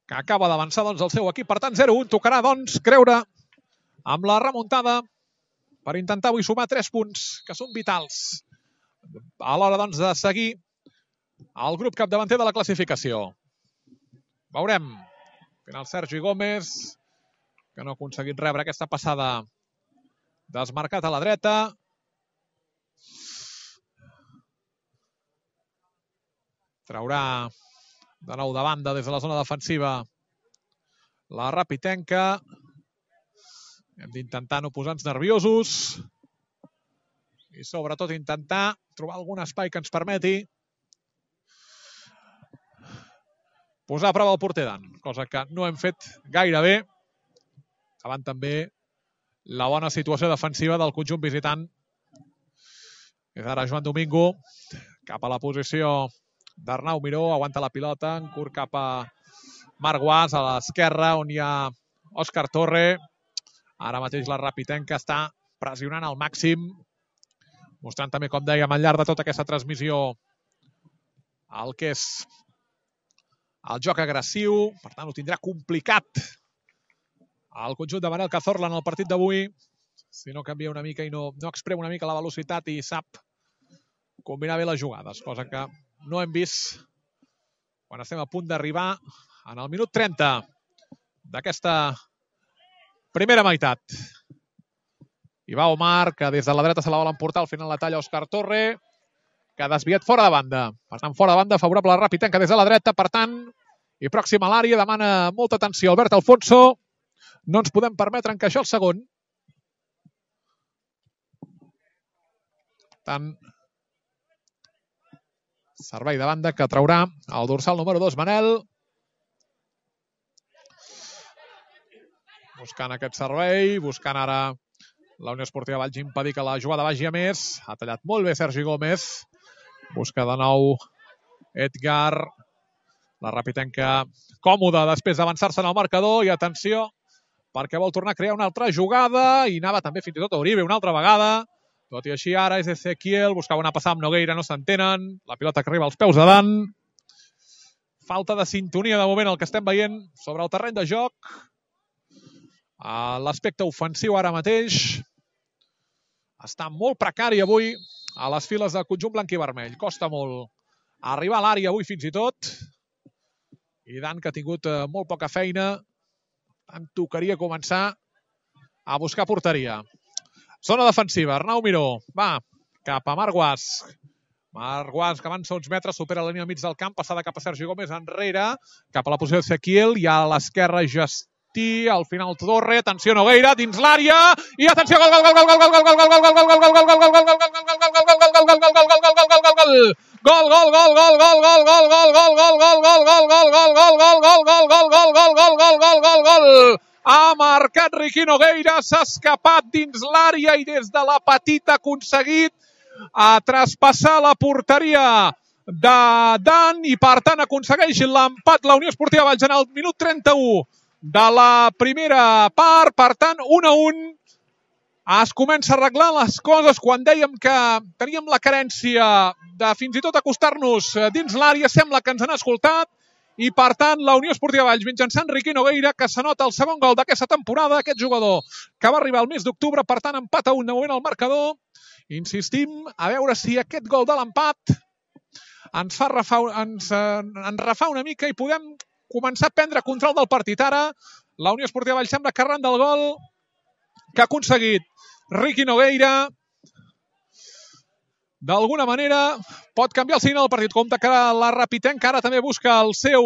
que acaba d'avançar doncs el seu equip. Per tant, 0-1. Tocarà doncs creure amb la remuntada per intentar avui sumar 3 punts que són vitals a l'hora doncs de seguir el grup capdavanter de la classificació. Veurem. Al final Sergi Gómez, que no ha aconseguit rebre aquesta passada, desmarcat a la dreta. Traurà de nou de banda des de la zona defensiva la Rapitenca. Hem d'intentar no posar-nos nerviosos i sobretot intentar trobar algun espai que ens permeti posar a prova el porter Dan, cosa que no hem fet gaire bé, davant també la bona situació defensiva del conjunt visitant. És ara Joan Domingo cap a la posició d'Arnau Miró, aguanta la pilota, en curt cap a Marc Guas, a l'esquerra, on hi ha Òscar Torre. Ara mateix la Rapitenca està pressionant al màxim, mostrant també, com dèiem, al llarg de tota aquesta transmissió el que és el joc agressiu. Per tant, ho tindrà complicat el conjunt de Manel Cazorla en el partit d'avui, si no canvia una mica i no exprema una mica la velocitat i sap combinar bé les jugades, cosa que no hem vist quan estem a punt d'arribar en el minut 30 d'aquesta primera meitat. Hi va Omar, que des de la dreta se la vol emportar, al final la talla Òscar Torre, que ha desviat fora de banda. Per tant, fora de banda, favorable a la Rapitenca des de la dreta, per tant, i pròxim a l'àrea, demana molta atenció Albert Alfonso. No ens podem permetre encaixar el segon. Per tant, servei de banda que traurà el dorsal número 2, Manel. Buscant aquest servei, buscant ara la Unió Esportiva Valls impedir que la jugada vagi a més. Ha tallat molt bé Sergi Gómez. Busca de nou Edgar. La Rapitenca còmoda després d'avançar-se en el marcador. I atenció, perquè vol tornar a crear una altra jugada. I anava també fins i tot a Uribe una altra vegada. Tot i així ara és Ezequiel. Buscava una passada amb Nogueira, no s'entenen. La pilota que arriba als peus de Dan. Falta de sintonia de moment el que estem veient sobre el terreny de joc. L'aspecte ofensiu ara mateix està molt precari avui a les files del conjunt blanc i vermell. Costa molt arribar a l'àrea avui fins i tot. I Dan, que ha tingut molt poca feina, en tocaria començar a buscar porteria. Zona defensiva, Arnau Miró. Va, cap a Marc Guasch. Marc Guasch, que avança uns metres, supera la línia al mig del camp, passada cap a Sergi Gómez enrere, cap a la posició d'Ezequiel, i a l'esquerra Justí, al final Torre, atenció Nogueira, dins l'àrea, i atenció, gol, gol, gol, gol, gol, gol, gol, gol, gol, gol, gol, gol, gol, gol, gol, gol, ha marcat Riqui Nogueira, s'ha escapat dins l'àrea i des de la petita ha aconseguit traspassar la porteria de Dan i per tant aconsegueix l'empat la Unió Esportiva Valls en el minut 31 de la primera part. Per tant, 1-1. Es comença a arreglar les coses quan dèiem que teníem la carència de fins i tot acostar-nos dins l'àrea. Sembla que ens han escoltat i per tant la Unió Esportiva Valls mitjançant Riqui Nogueira, que s'anota el segon gol d'aquesta temporada, aquest jugador que va arribar al mes d'octubre, per tant empat a 1 de moment al marcador. Insistim a veure si aquest gol de l'empat ens refà una mica i podem començar a prendre control del partit. Ara la Unió Esportiva Valls sembla que arran del gol que ha aconseguit Riqui Nogueira d'alguna manera pot canviar el signe del partit. Compte que la Rapitenca ara també busca el seu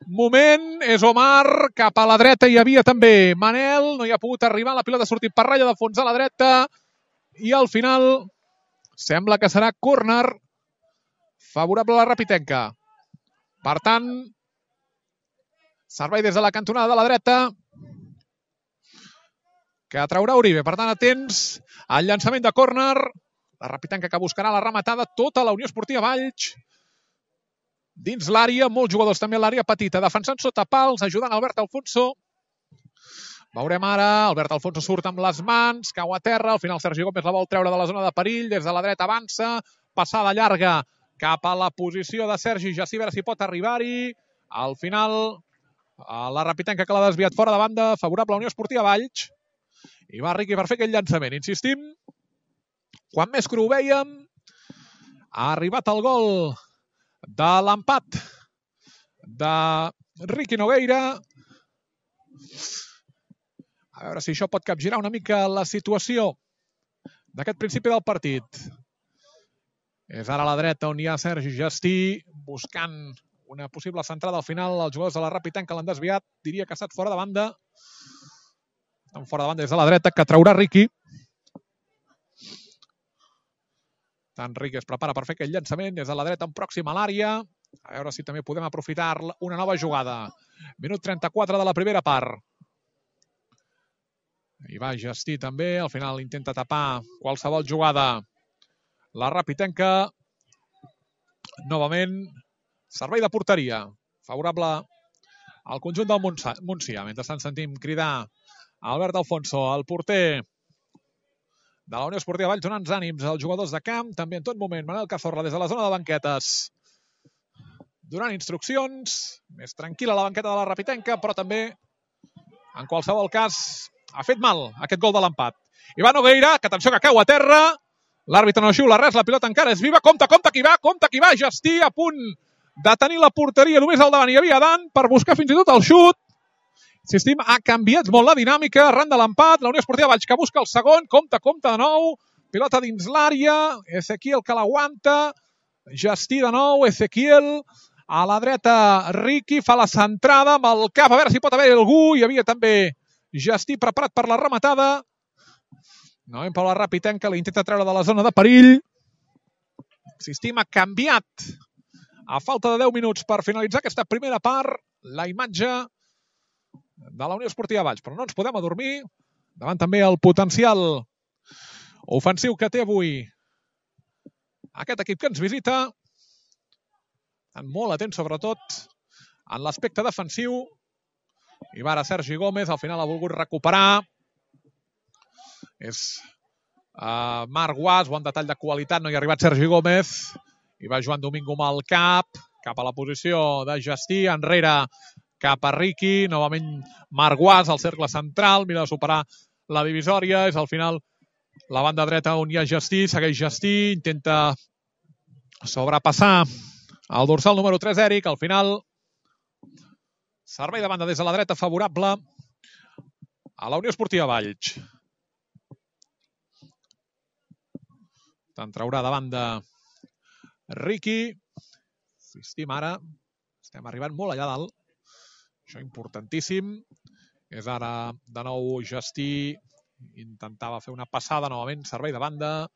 moment. És Omar, cap a la dreta hi havia també Manel, no hi ha pogut arribar, la pilota ha sortit per ratlla de fons a la dreta i al final sembla que serà córner favorable a la Rapitenca. Per tant, servei des de la cantonada de la dreta que traurà Uribe. Per tant, atents al llançament de córner. La Rapitenca que buscarà la rematada, tota la Unió Esportiva Valls dins l'àrea, molts jugadors també a l'àrea petita, defensant sota pals, ajudant Albert Alfonso. Veurem ara, Albert Alfonso surt amb les mans, cau a terra, al final Sergi Gómez la vol treure de la zona de perill, des de la dreta avança, passada llarga cap a la posició de Sergi, ja si veure si pot arribar-hi. Al final, la Rapitenca que l'ha desviat fora de banda, favorable a la Unió Esportiva Valls. I va Riqui per fer aquell llançament. Insistim, quan més cru ho vèiem, ha arribat el gol de l'empat de Riqui Nogueira. A veure si això pot capgirar una mica la situació d'aquest principi del partit. És ara a la dreta on hi ha Sergi Justí buscant una possible centrada. Al final els jugadors de la Rapitenca l'han desviat. Diria que ha estat fora de banda. Estan fora de banda des de la dreta, que traurà Riqui. Tant Riqui es prepara per fer aquell llançament des de la dreta en pròxima a l'àrea. A veure si també podem aprofitar una nova jugada. Minut 34 de la primera part. Hi va Justí també. Al final intenta tapar qualsevol jugada. La Rapitenca, novament, servei de porteria, favorable al conjunt del Montsià. Mentrestant sentim cridar Albert Alfonso, el porter de la Unió Esportiva Valls, donant ànims als jugadors de camp. També en tot moment Manel Cazorla des de la zona de banquetes, donant instruccions. Més tranquil·la la banqueta de la Rapitenca, però també, en qualsevol cas, ha fet mal aquest gol de l'empat. Ivan Nogueira, que atenció que cau a terra. L'àrbitre no xiula res, la pilota encara és viva. Compte qui va, Justí a punt de tenir la porteria només al davant. Hi havia Dan per buscar fins i tot el xut. Insistim, ha canviat molt la dinàmica arran de l'empat. La Unió Esportiva Valls que busca el segon. Compte de nou. Pilota dins l'àrea. Ezequiel que l'aguanta. Gestí de nou. Ezequiel. A la dreta, Riqui fa la centrada amb el cap. A veure si pot haver algú. Hi havia també Gestí preparat per la rematada. Novament per la Rapitenca. L'intenta treure de la zona de perill. Insistim, ha canviat a falta de 10 minuts per finalitzar aquesta primera part la imatge de la Unió Esportiva Valls. Però no ens podem adormir davant també el potencial ofensiu que té avui aquest equip que ens visita. Estan molt atents, sobretot, en l'aspecte defensiu. I va ara Sergi Gómez, al final ha volgut recuperar. És Marc Guas, bon detall de qualitat, no hi ha arribat Sergi Gómez. I va Joan Domingo amb el cap a la posició de Gestí, enrere cap a Riqui, novament Marc Guas, al cercle central, mira de superar la divisòria, és al final la banda dreta on hi ha Gestí, segueix Gestí, intenta sobrepassar el dorsal número 3, Eric, al final servei de banda des de la dreta favorable a la Unió Esportiva Valls. Te'n traurà de banda Riqui. Insistim ara, estem arribant molt allà dalt. Això importantíssim. És ara de nou Gestí. Intentava fer una passada novament, servei de banda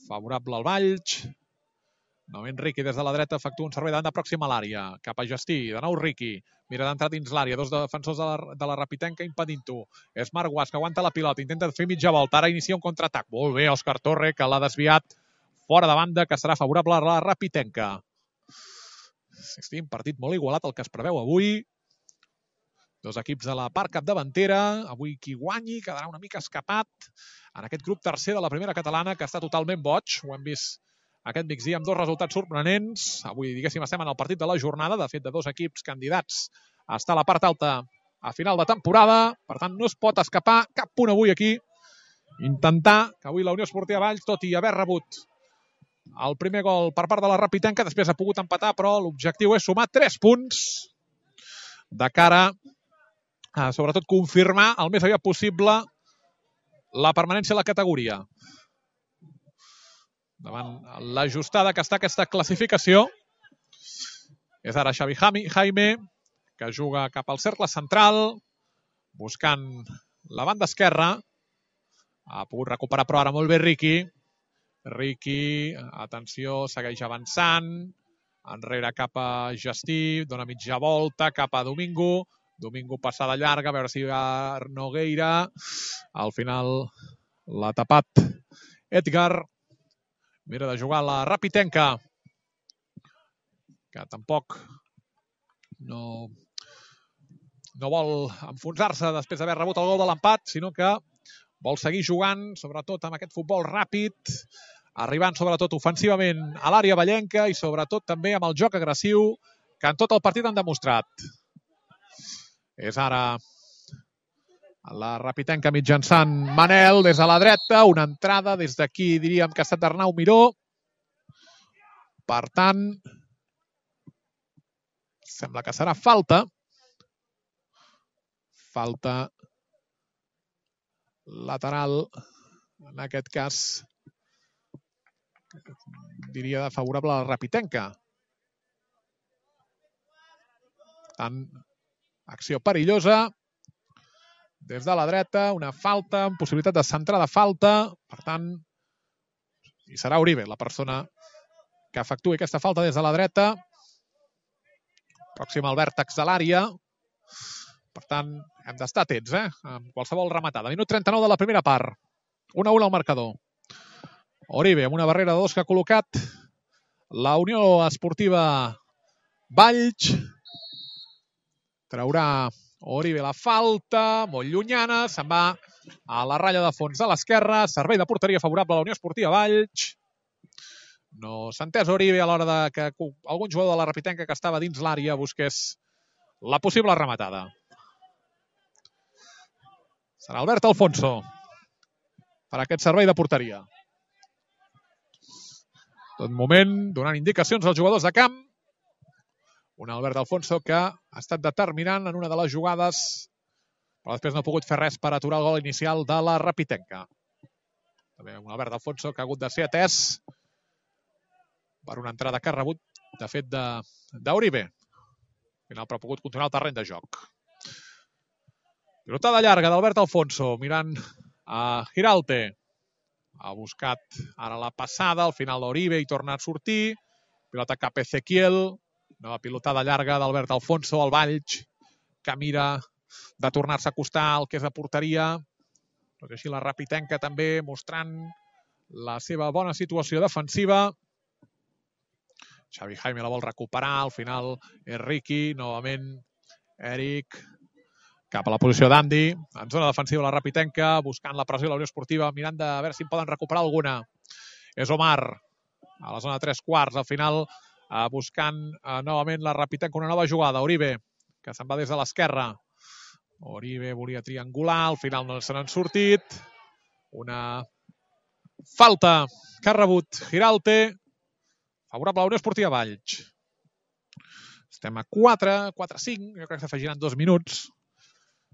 favorable al Valls. Novament Riqui des de la dreta efectua un servei de banda pròxim a l'àrea. Cap a Gestí, de nou Riqui. Mira d'entrar dins l'àrea, dos defensors de la Rapitenca impedint-ho. És Marc Guas que aguanta la pilota, intenta fer mitja volta, ara inicia un contraatac. Molt bé, Òscar Torre, que l'ha desviat fora de banda, que serà favorable a la Rapitenca. Insistim, partit molt igualat el que es preveu avui. Dos equips de la part capdavantera. Avui qui guanyi quedarà una mica escapat en aquest grup tercer de la primera catalana, que està totalment boig. Ho hem vist aquest migdia amb dos resultats sorprenents. Avui, diguéssim, estem en el partit de la jornada, de fet, de dos equips candidats a estar a la part alta a final de temporada. Per tant, no es pot escapar cap punt avui aquí. Intentar que avui la Unió Esportiva Valls, tot i haver rebut el primer gol per part de la Rapitenca, després ha pogut empatar, però l'objectiu és sumar 3 punts de cara a, sobretot, confirmar el més aviat possible la permanència a la categoria. Davant l'ajustada que està aquesta classificació, és ara Xavi Jaime, que juga cap al cercle central, buscant la banda esquerra. Ha pogut recuperar, però ara molt bé Riqui. Riqui, atenció, segueix avançant. Enrere cap a Gestí, dona mitja volta, cap a Domingo. Domingo passada llarga, a veure si va Nogueira. Al final l'ha tapat Edgar. Mira de jugar la Rapitenca, que tampoc no vol enfonsar-se després d'haver rebut el gol de l'empat, sinó que vol seguir jugant, sobretot amb aquest futbol ràpid, arribant sobretot ofensivament a l'àrea vallenca i sobretot també amb el joc agressiu que en tot el partit han demostrat. És ara la Rapitenca mitjançant Manel des de la dreta, una entrada des d'aquí diríem que ha estat d'Arnau Miró. Per tant, sembla que serà falta. Falta lateral, en aquest cas, diria favorable a la Rapitenca. Tant, acció perillosa. Des de la dreta, una falta, amb possibilitat de centrar de falta. Per tant, i serà Uribe la persona que efectuï aquesta falta des de la dreta. Pròxim al vèrtex de l'àrea. Per tant, hem d'estar atents, amb qualsevol rematada. Minut 39 de la primera part. 1-1 al marcador. Uribe amb una barrera de 2 que ha col·locat la Unió Esportiva Valls. Traurà Uribe la falta, molt llunyana, se'n va a la ratlla de fons de l'esquerra, servei de porteria favorable a la Unió Esportiva Valls. No s'ha entès Uribe a l'hora de que algun jugador de la Rapitenca que estava dins l'àrea busqués la possible rematada. Serà Albert Alfonso per aquest servei de porteria. Tot moment donant indicacions als jugadors de camp. Un Albert Alfonso que ha estat determinant en una de les jugades, però després no ha pogut fer res per aturar el gol inicial de la Rapitenca. També un Albert Alfonso que ha hagut de ser atès per una entrada que ha rebut, de fet, d'Uribe. Al final, però ha pogut continuar el terreny de joc. Pilotada llarga d'Albert Alfonso, mirant a Giralte. Ha buscat ara la passada, al final d'Uribe i torna a sortir. Pilota cap a Ezequiel. Nova pilotada llarga d'Albert Alfonso, al Valls, que mira de tornar-se a acostar al que és la porteria. Tot i així la Rapitenca també mostrant la seva bona situació defensiva. Xavi Jaime la vol recuperar, al final és Riqui, novament Eric, cap a la posició d'Andy, en zona defensiva la Rapitenca, buscant la pressió de la Unió Esportiva, mirant de veure si en poden recuperar alguna. És Omar, a la zona de 3/4, al final buscant novament la Rapitenca una nova jugada. Uribe, que se'n va des de l'esquerra. Uribe volia triangular, al final no se n'han sortit. Una falta que ha rebut Giralte, favorable a la Unió Esportiva Valls. Estem a 4-5, jo crec que s'afegiran 2 minuts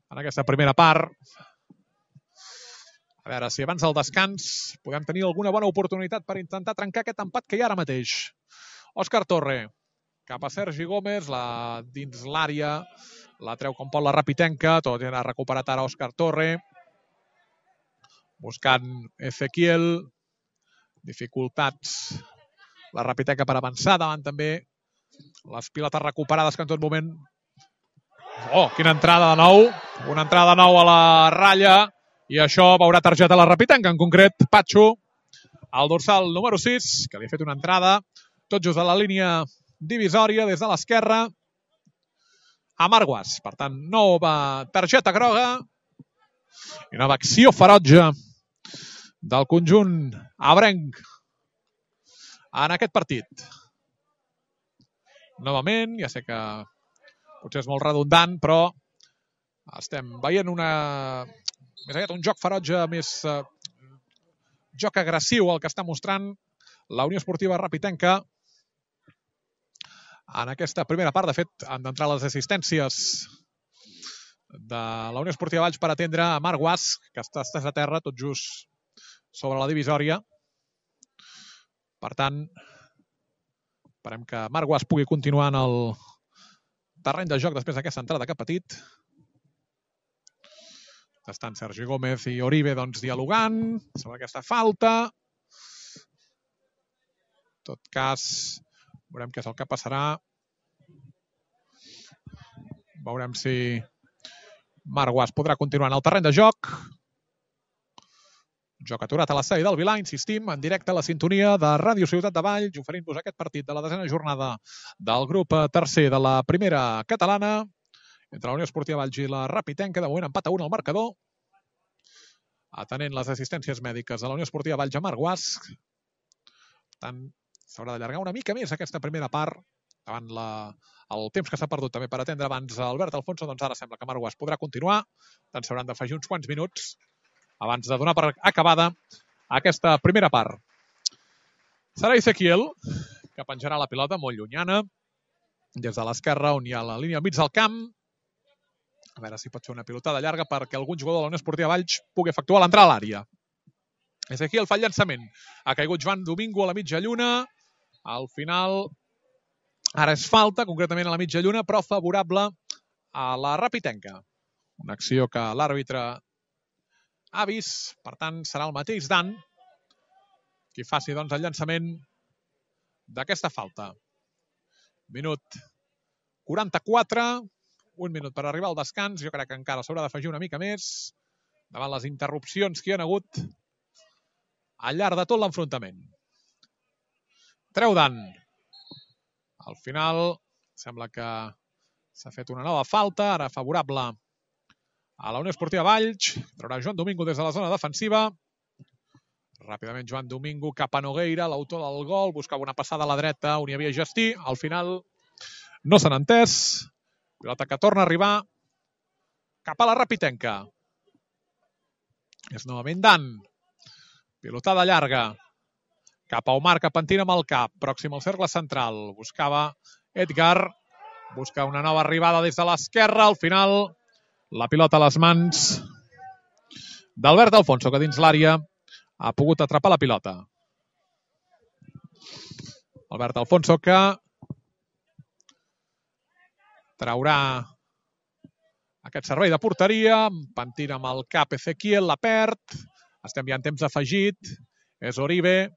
en aquesta primera part. A veure si abans del descans podem tenir alguna bona oportunitat per intentar trencar aquest empat que hi ha ara mateix. Òscar Torre, cap a Sergi Gómez, dins l'àrea, la treu com pot la Rapitenca, tot ha recuperat ara Òscar Torre, buscant Ezequiel, dificultats la Rapitenca per avançar, davant també les pilotes recuperades que en tot moment... Oh, quina entrada de nou, una entrada de nou a la ratlla, i això veurà targeta a la Rapitenca, en concret Patxo, el dorsal número 6, que li ha fet una entrada tot just a la línia divisòria des de l'esquerra a Marguas. Per tant, nova targeta groga i nova acció ferotge del conjunt abrenc en aquest partit. Novament, ja sé que potser és molt redundant, però estem veient més aviat un joc ferotge, més joc agressiu el que està mostrant la Unió Esportiva Rapitenca en aquesta primera part. De fet, han d'entrar les assistències de la Unió Esportiva Valls per atendre a Marc Guas, que està estès a terra tot just sobre la divisòria. Per tant, esperem que Marc Guas pugui continuar en el terreny de joc després d'aquesta entrada que ha patit. Estan Sergi Gómez i Uribe dialogant sobre aquesta falta. En tot cas, veurem què és el que passarà. Veurem si Marc Guas podrà continuar en el terreny de joc. Joc aturat a l'estadi del Vilà, insistim, en directe a la sintonia de Ràdio Ciutat de Valls, oferint-vos aquest partit de la 10ª jornada del grup tercer de la primera catalana entre la Unió Esportiva Valls i la Rapitenca. De moment empat a 1 al marcador, atenent les assistències mèdiques de la Unió Esportiva Valls a Marc Guas. Per tant, s'haurà d'allargar una mica més aquesta primera part, davant el temps que s'ha perdut també per atendre abans Albert Alfonso. Doncs ara sembla que Marc Guas podrà continuar. Tant s'hauran d'afegir uns quants minuts abans de donar per acabada aquesta primera part. Serà Ezequiel, que penjarà la pilota molt llunyana, des de l'esquerra, on hi ha la línia al mig del camp. A veure si pot fer una pilotada llarga perquè algun jugador de la Unió Esportiva Valls pugui efectuar l'entrada a l'àrea. Ezequiel fa el llançament. Ha caigut Joan Domingo a la mitja lluna. Al final, ara és falta, concretament a la mitja lluna, però favorable a la Rapitenca. Una acció que l'àrbitre ha vist, per tant, serà el mateix Dan qui faci el llançament d'aquesta falta. Minut 44, un minut per arribar al descans. Jo crec que encara s'haurà d'afegir una mica més davant les interrupcions que hi ha hagut al llarg de tot l'enfrontament. Treu Dan. Al final sembla que s'ha fet una nova falta, ara favorable a la Unió Esportiva Valls. Traurà Joan Domingo des de la zona defensiva. Ràpidament Joan Domingo cap a Nogueira, l'autor del gol. Buscava una passada a la dreta on hi havia Gestí. Al final no s'han entès. Pilota que torna a arribar cap a la Rapitenca. És novament Dan. Pilotada llarga cap a Omar, que pentina amb el cap, pròxim al cercle central. Buscava Edgar. busca una nova arribada des de l'esquerra. Al final, la pilota a les mans d'Albert Alfonso, que dins l'àrea ha pogut atrapar la pilota. Albert Alfonso, que traurà aquest servei de porteria, pentina amb el cap Ezequiel, la perd, estem ja en temps afegit, és Oribe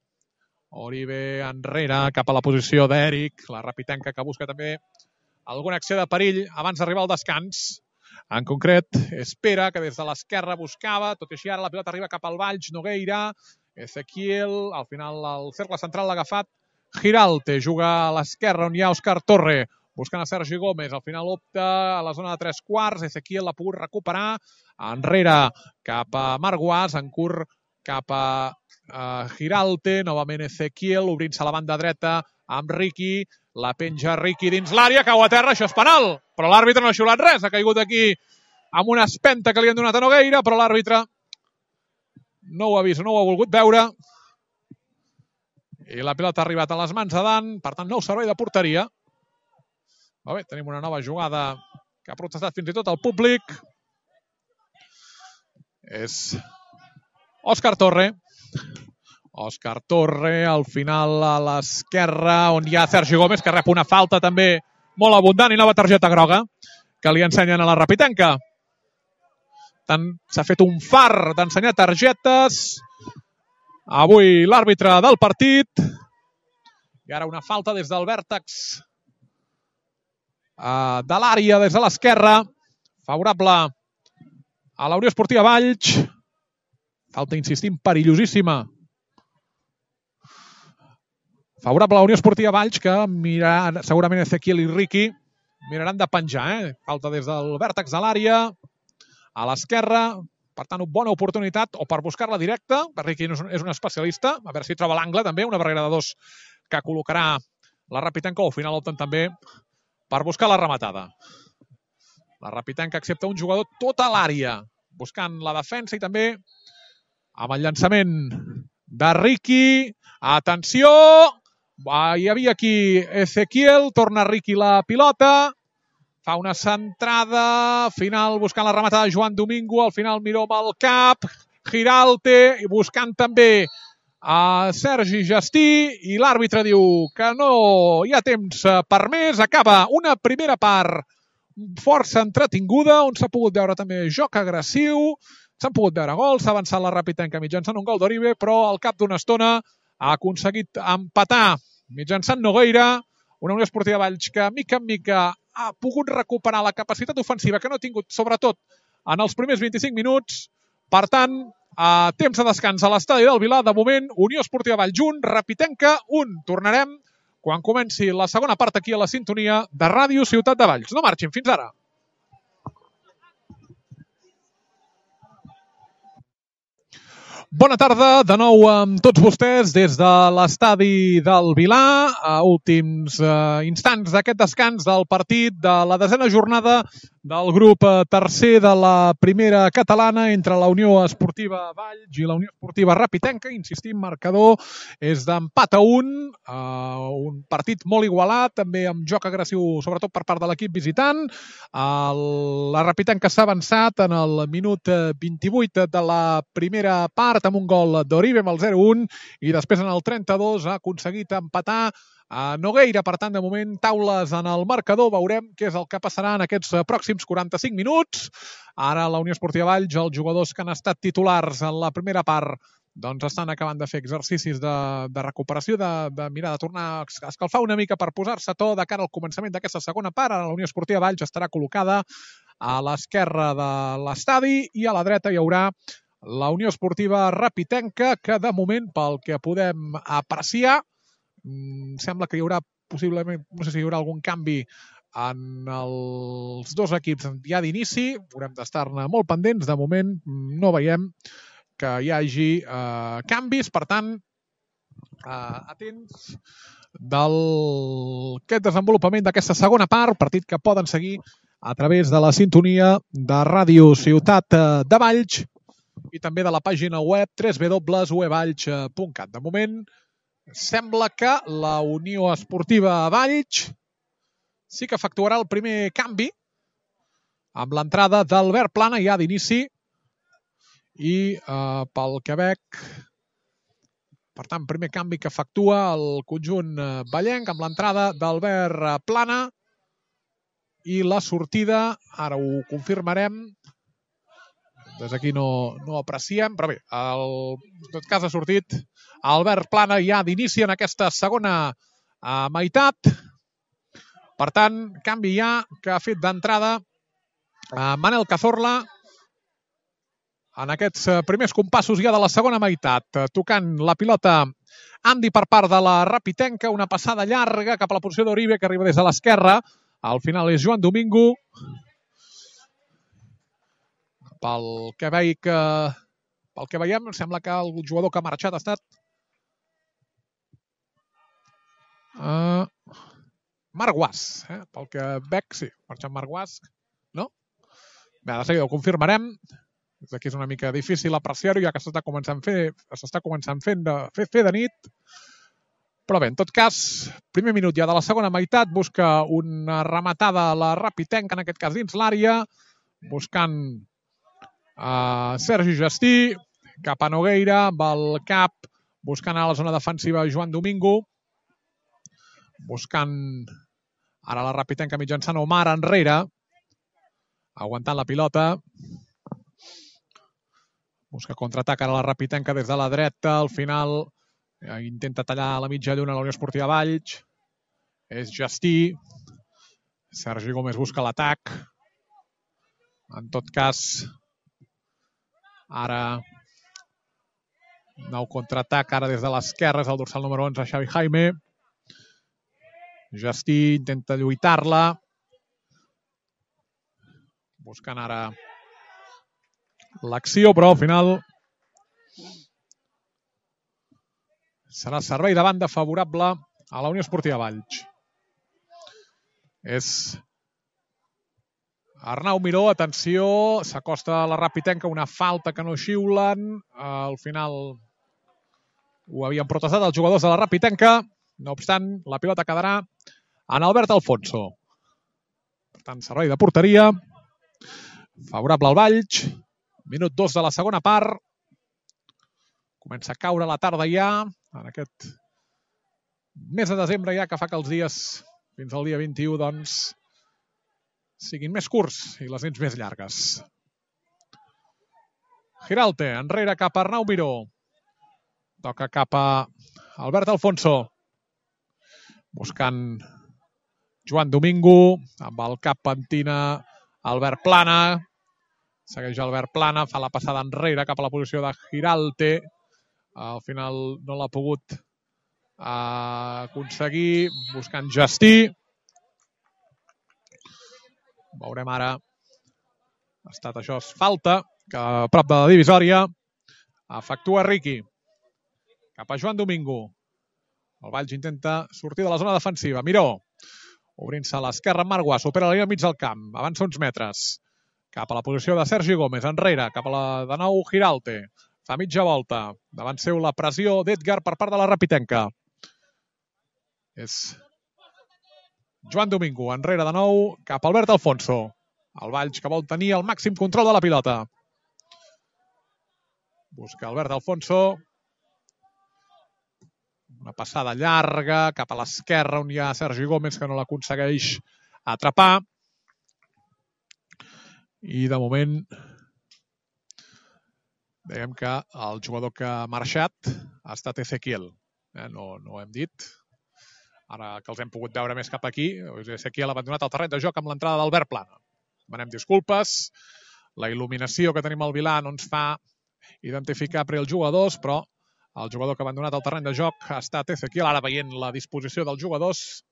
enrere cap a la posició d'Eric, la Rapitenca que busca també alguna acció de perill abans d'arribar al descans. En concret, Espera, que des de l'esquerra buscava, tot i així ara la pilota arriba cap al Valls, Nogueira, Ezequiel, al final el cercle central l'ha agafat Giralte, juga a l'esquerra on hi ha Òscar Torre, buscant a Sergi Gómez, al final opta a la zona de 3/4, Ezequiel l'ha pogut recuperar, enrere cap a Marguas, en curt cap a Giralte, novament Ezequiel, obrint-se a la banda dreta amb Riqui, la penja Riqui dins l'àrea, cau a terra, això és penal, però l'àrbitre no ha xiulat res, ha caigut aquí amb una espenta que li han donat a Nogueira, però l'àrbitre no ho ha vist, no ho ha volgut veure, i la pilota ha arribat a les mans de Dan, per tant, nou servei de porteria. Molt bé, tenim una nova jugada que ha protestat fins i tot el públic. És Òscar Torre. Òscar Torre, al final a l'esquerra, on hi ha Sergi Gómez, que rep una falta també molt abundant i nova targeta groga, que li ensenyen a la Rapitenca. S'ha fet un far d'ensenyar targetes. Avui l'àrbitre del partit. I ara una falta des del vèrtex de l'àrea, des de l'esquerra. Favorable a la Unió Esportiva Valls. Falta, insistim, perillosíssima. Favorable a la Unió Esportiva Valls, que miraran, segurament Ezequiel i Riqui miraran de penjar. Falta des del vèrtex de l'àrea, a l'esquerra. Per tant, bona oportunitat o per buscar-la directa. Riqui és un especialista. A veure si troba l'angle també, una barrera de dos que col·locarà la Rapitenca, o al final opten també per buscar la rematada. La Rapitenca accepta un jugador tot a l'àrea, buscant la defensa i també amb el llançament de Riqui. Atenció! Hi havia aquí Ezequiel, torna Riqui la pilota, fa una centrada, final buscant la rematada de Joan Domingo, al final Miró amb el cap, Giralte, i buscant també a Sergi Gestí, i l'àrbitre diu que no hi ha temps per més. Acaba una primera part força entretinguda, on s'ha pogut veure també joc agressiu, s'han pogut veure gols, s'ha avançat la Rapitenca mitjançant un gol d'Oribe, però al cap d'una estona ha aconseguit empatar mitjançant Nogueira, una Unió Esportiva Valls que mica en mica ha pogut recuperar la capacitat ofensiva que no ha tingut, sobretot en els primers 25 minuts. Per tant, a temps de descans a l'estadi del Vilar, de moment, Unió Esportiva Valls 1, Rapitenca 1. Tornarem quan comenci la segona part aquí a la sintonia de Ràdio Ciutat de Valls. No marxin, fins ara. Bona tarda, de nou amb tots vostès des de l'estadi del Vilar, a últims instants d'aquest descans del partit de la 10a jornada del grup tercer de la primera catalana entre la Unió Esportiva Valls i la Unió Esportiva Rapitenca. Insistim, marcador és d'empat a 1, un partit molt igualat, també amb joc agressiu, sobretot per part de l'equip visitant. La Rapitenca s'ha avançat en el minut 28 de la primera part, amb un gol d'Oribe amb el 0-1, i després en el 32 ha aconseguit empatar a Nogueira. Per tant, de moment, taules en el marcador. Veurem què és el que passarà en aquests pròxims 45 minuts. Ara la Unió Esportiva Valls, els jugadors que han estat titulars en la primera part, doncs estan acabant de fer exercicis de recuperació, de mirar de tornar a escalfar una mica per posar-se a to de cara al començament d'aquesta segona part. Ara la Unió Esportiva Valls estarà col·locada a l'esquerra de l'estadi i a la dreta hi haurà la Unió Esportiva Rapitenca, que de moment, pel que podem apreciar, sembla que hi haurà possiblement, no sé si hi haurà algun canvi en els dos equips ja d'inici, haurem d'estar-ne molt pendents. De moment no veiem que hi hagi canvis, per tant, atents d'aquest desenvolupament d'aquesta segona part, partit que poden seguir a través de la sintonia de Ràdio Ciutat de Valls i també de la pàgina web www.uevalls.cat. De moment, sembla que la Unió Esportiva Valls sí que efectuarà el primer canvi amb l'entrada d'Albert Plana ja d'inici i pel Quebec, per tant, primer canvi que efectua el conjunt vallenc amb l'entrada d'Albert Plana i la sortida, ara ho confirmarem, des d'aquí no apreciem, però bé, en tot cas ha sortit Albert Plana ja d'inici en aquesta segona meitat. Per tant, canvi ja que ha fet d'entrada Manel Cazorla en aquests primers compassos ja de la segona meitat. Tocant la pilota Andy per part de la Rapitenca, una passada llarga cap a la posició d'Oribe que arriba des de l'esquerra. Al final és Joan Domingo. Pel que veiem, sembla que el jugador que ha marxat ha estat Marc Guas. Pel que veig, sí, marxat Marc Guas. No? Bé, de seguida ho confirmarem. Des d'aquí és una mica difícil apreciar-ho, ja que s'està començant fer de nit. Però bé, en tot cas, primer minut ja de la segona meitat, busca una rematada a la Rapitenca, en aquest cas dins l'àrea, buscant Sergi Gestí, cap a Nogueira, amb el cap, buscant a la zona defensiva Joan Domingo, buscant ara la Rapitenca mitjançant Omar enrere, aguantant la pilota, busca contraatac ara la Rapitenca des de la dreta, al final intenta tallar la mitja lluna a la Unió Esportiva Valls, és Gestí, Sergi Gómez busca l'atac, en tot cas, ara nou contraatac, ara des de l'esquerra, és el dorsal número 11, Xavi Jaime, Gestí intenta lluitar-la, buscant ara l'acció, però al final serà servei de banda favorable a la Unió Esportiva Valls. És Arnau Miró, atenció, s'acosta a la Rapitenca, una falta que no xiulen, al final ho havien protestat els jugadors de la Rapitenca, no obstant, la pilota quedarà en Albert Alfonso. Per tant, servei de porteria, favorable al Valls, minut 2 de la segona part, comença a caure la tarda ja, en aquest mes de desembre ja, que fa que els dies fins al dia 21 doncs siguin més curts i les nits més llargues. Giralte, enrere cap a Arnau Miró. Toca cap a Albert Alfonso. Buscant Joan Domingo, amb el cap pentina Albert Plana. Segueix Albert Plana, fa la passada enrere cap a la posició de Giralte. Al final no l'ha pogut aconseguir, buscant Gestí. Veurem ara, ha estat això, falta, que a prop de la divisòria efectua Riqui. Cap a Joan Domingo. El Valls intenta sortir de la zona defensiva. Miró, obrint-se a l'esquerra amb Marc Guas, supera la línia mig del camp, avança uns metres. Cap a la posició de Sergi Gómez, enrere, cap a la de nou Giralte. Fa mitja volta, davant seu la pressió d'Edgar per part de la Rapitenca. És Joan Domingo, enrere de nou, cap a Albert Alfonso. El Valls que vol tenir el màxim control de la pilota. Busca Albert Alfonso. Una passada llarga cap a l'esquerra on hi ha Sergi Gómez que no l'aconsegueix atrapar. I de moment dèiem que el jugador que ha marxat ha estat Ezequiel. No ho hem dit. Ara que els hem pogut veure més cap aquí, Ezequiel ha abandonat el terreny de joc amb l'entrada d'Albert Plana. Demanem disculpes. La il·luminació que tenim al Vilà no ens fa identificar per els jugadors, però el jugador que ha abandonat el terreny de joc ha estat Ezequiel. Ara veient la disposició dels jugadors,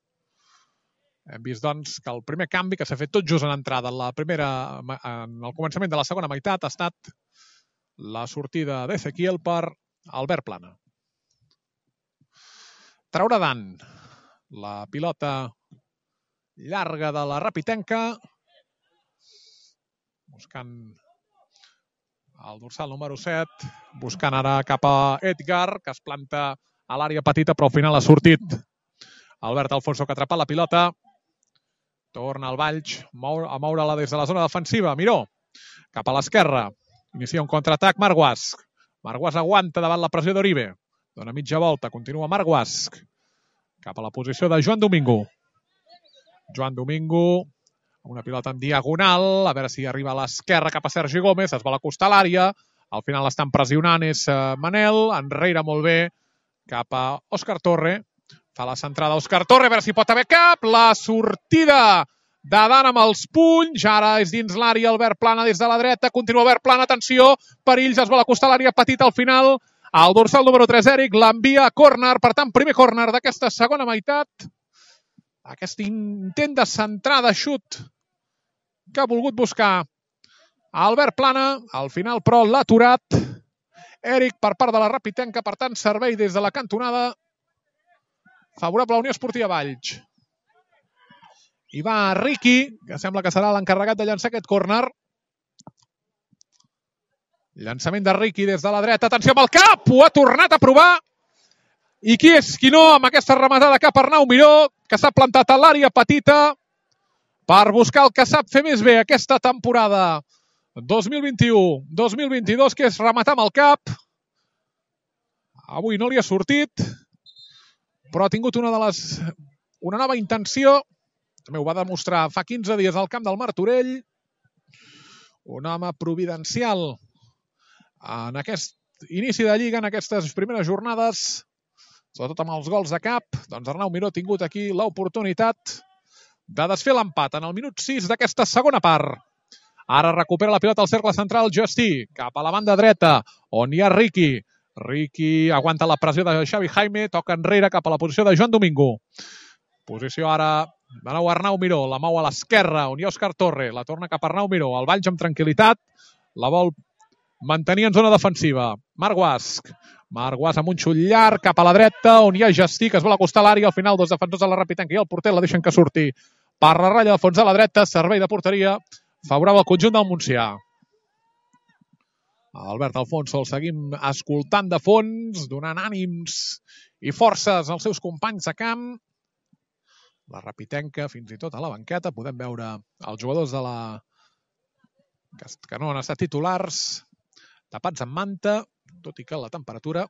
hem vist doncs que el primer canvi que s'ha fet tot just en entrada en el començament de la segona meitat ha estat la sortida d'Ezequiel per Albert Plana. Traurà Dan la pilota llarga de la Rapitenca, buscant el dorsal número 7, buscant ara cap a Edgar, que es planta a l'àrea petita, però al final ha sortit Albert Alfonso, que ha atrapat la pilota. Torna el Valls a moure-la des de la zona defensiva. Miró, cap a l'esquerra. Inicia un contraatac Marc Guasch. Marc Guasch aguanta davant la pressió d'Oribe. Dona mitja volta, continua Marc Guasch. Cap a la posició de Joan Domingo. Joan Domingo, amb una pilota en diagonal, a veure si arriba a l'esquerra cap a Sergi Gómez, es vol acostar a l'àrea, al final l'estan pressionant, és Manel, enrere molt bé, cap a Òscar Torre, fa la centrada Òscar Torre, a veure si pot haver cap, la sortida de Dan amb els punys, ara és dins l'àrea, Albert Plana des de la dreta, continua Albert Plana, atenció, Perills es vol acostar a l'àrea petita al final, el dorsal número 3, Eric, l'envia a córner, per tant, primer córner d'aquesta segona meitat. Aquest intent de centrada, xut, que ha volgut buscar Albert Plana, al final, però, l'ha aturat Eric per part de la Rapitenca, per tant, servei des de la cantonada favorable a la Unió Esportiva Valls. I va Riqui, que sembla que serà l'encarregat de llançar aquest córner. Llançament de Riqui des de la dreta. Atenció amb el cap! Ho ha tornat a provar. I qui és qui no amb aquesta rematada cap a Arnau Miró, que s'ha plantat a l'àrea petita per buscar el que sap fer més bé aquesta temporada 2021-2022, que és rematar amb el cap. Avui no li ha sortit, però ha tingut una nova intenció. També ho va demostrar fa 15 dies al camp del Martorell. Un home providencial en aquest inici de Lliga, en aquestes primeres jornades, sobretot amb els gols de cap. Doncs Arnau Miró ha tingut aquí l'oportunitat de desfer l'empat en el minut 6 d'aquesta segona part. Ara recupera la pilota al cercle central Justí, cap a la banda dreta, on hi ha Riqui. Riqui aguanta la pressió de Xavi Jaime, toca enrere cap a la posició de Joan Domingo. Posició ara de nou Arnau Miró, la mou a l'esquerra, on hi ha Òscar Torre, la torna cap a Arnau Miró, el Valls amb tranquil·litat, la vol mantenir en zona defensiva. Marc Guasch amb un xut llarg cap a la dreta, on hi ha Justí, que es vol acostar a l'àrea, al final dos defensors de la Rapitenca i el porter la deixen que surti per la ratlla de fons de la dreta, servei de porteria favorable al conjunt del Montsià. Albert Alfonso el seguim escoltant de fons, donant ànims i forces als seus companys de camp. La Rapitenca, fins i tot a la banqueta, podem veure els jugadors que no han estat titulars tapats amb manta, tot i que la temperatura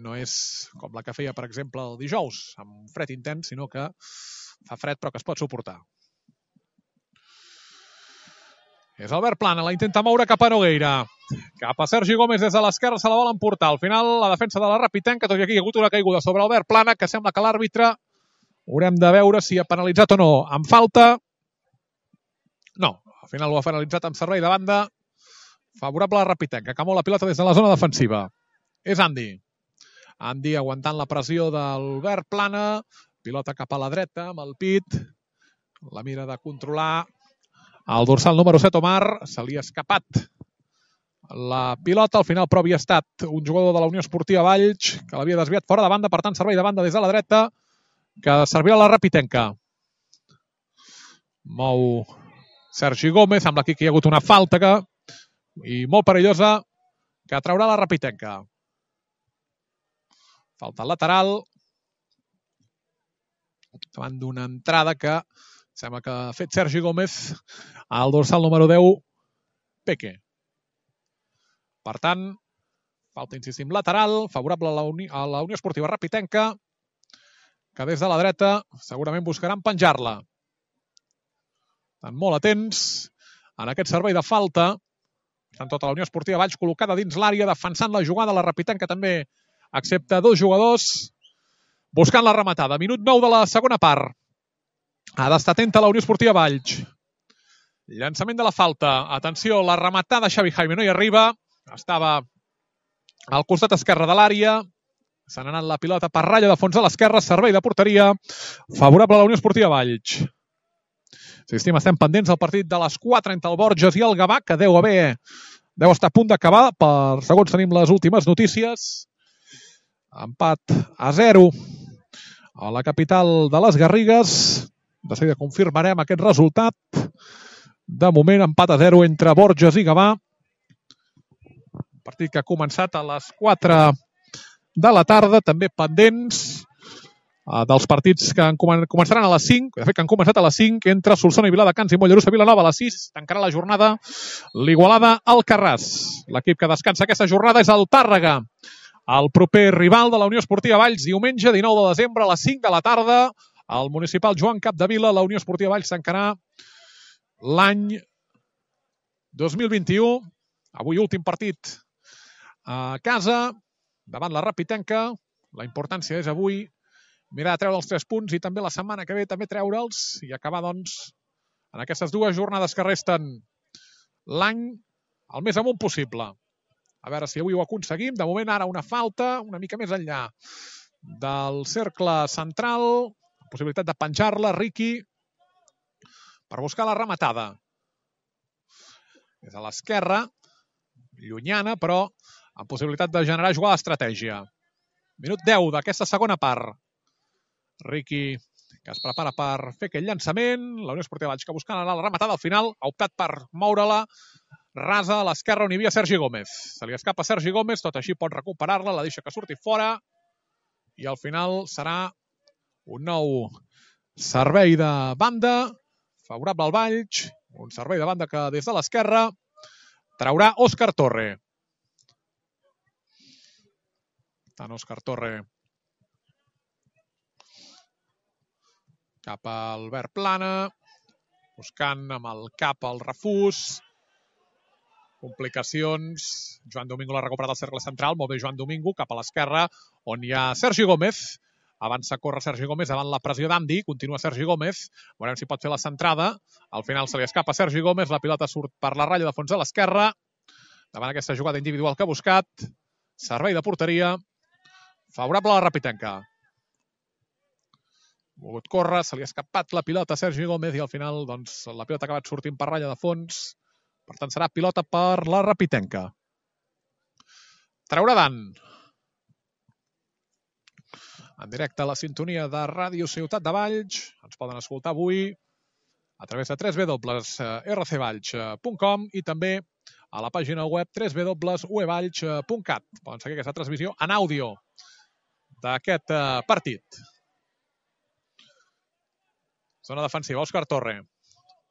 no és com la que feia, per exemple, el dijous, amb fred intens, sinó que fa fred però que es pot suportar. És Albert Plana, la intenta moure cap a Nogueira. Cap a Sergi Gómez des de l'esquerra, se la volen portar. Al final, la defensa de la Rapitenca, tot i aquí hi ha hagut una caiguda sobre Albert Plana, que sembla que l'àrbitre haurem de veure si ha penalitzat o no. Amb falta, no. Al final ho ha penalitzat amb servei de banda favorable a la Rapitenca, que mou la pilota des de la zona defensiva. És Andy. Andy aguantant la pressió d'Albert Plana. Pilota cap a la dreta amb el pit. La mira de controlar el dorsal número 7, Omar. Se li ha escapat la pilota. Al final, però, havia estat un jugador de la Unió Esportiva Valls que l'havia desviat fora de banda. Per tant, servei de banda des de la dreta que servirà la Rapitenca. Mou Sergi Gómez. Sembla aquí que hi ha hagut una falta i molt perillosa que traurà la Rapitenca. Falta lateral davant d'una entrada que sembla que ha fet Sergi Gómez al dorsal número 10, Peque. Per tant, falta, insistim, lateral, favorable a la Unió Esportiva Rapitenca, que des de la dreta segurament buscaran penjar-la. Estan molt atents en aquest servei de falta. Estan tota la Unió Esportiva Valls col·locada dins l'àrea, defensant la jugada. La Rapitenca també accepta dos jugadors buscant la rematada. Minut 9 de la segona part. Ha d'estar atenta la Unió Esportiva Valls. Llançament de la falta. Atenció, la rematada Xavi Jaime no hi arriba. Estava al costat esquerre de l'àrea. Se n'ha anat la pilota per ratlla de fons a l'esquerra. Servei de porteria favorable a la Unió Esportiva Valls. Estem pendents del partit de les 4 entre el Borges i el Gavà, que deu estar a punt d'acabar, segons tenim les últimes notícies. Empat a 0 a la capital de les Garrigues. De seguida confirmarem aquest resultat. De moment, empat a 0 entre Borges i Gavà. Partit que ha començat a les 4 de la tarda, també pendents dels partits que començaran a les 5, de fet que han començat a les 5, entre Solsona i Viladecans i Mollerussa Vilanova a les 6. Tancarà la jornada l'Igualada Alcarràs. L'equip que descansa aquesta jornada és el Tàrrega. El proper rival de la Unió Esportiva Valls, diumenge 19 de desembre a les 5 de la tarda, al municipal Joan Capdevila. La Unió Esportiva Valls tancarà l'any 2021. Avui últim partit a casa, davant la Rapitenca. La importància és avui mirar de treure els 3 punts i també la setmana que ve també treure'ls i acabar, doncs, en aquestes 2 jornades que resten l'any el més amunt possible. A veure si avui ho aconseguim. De moment, ara una falta una mica més enllà del cercle central. Possibilitat de penjar-la, Riqui, per buscar la rematada. És a l'esquerra, llunyana, però amb possibilitat de generar jugada d'estratègia. Minut 10 d'aquesta segona part. Riqui, que es prepara per fer aquell llançament. La Unió Esportiva Valls, que buscant anar a la rematada, al final ha optat per moure-la rasa a l'esquerra on hi havia Sergi Gómez. Se li escapa Sergi Gómez, tot així pot recuperar-la, la deixa que surti fora i al final serà un nou servei de banda favorable al Valls, un servei de banda que des de l'esquerra traurà Òscar Torre. Tant Òscar Torre cap a Albert Plana, buscant amb el cap el refús. Complicacions. Joan Domingo l'ha recuperat al cercle central. Molt bé Joan Domingo, cap a l'esquerra, on hi ha Sergi Gómez. Avança a córrer Sergi Gómez davant la pressió d'Andy. Continua Sergi Gómez. Veurem si pot fer la centrada. Al final se li escapa Sergi Gómez. La pilota surt per la ratlla de fons a l'esquerra. Davant aquesta jugada individual que ha buscat. Servei de porteria favorable a la Rapitenca. Volgut córrer, se li ha escapat la pilota a Sergi Gómez i al final, doncs, la pilota ha acabat sortint per ratlla de fons. Per tant, serà pilota per la Rapitenca. Traurà Dan. En directe a la sintonia de Ràdio Ciutat de Valls. Ens poden escoltar avui a través de www.rcvalls.com i també a la pàgina web www.uevalls.cat. Poden seguir aquesta transmissió en àudio d'aquest partit. Zona defensiva, Òscar Torre.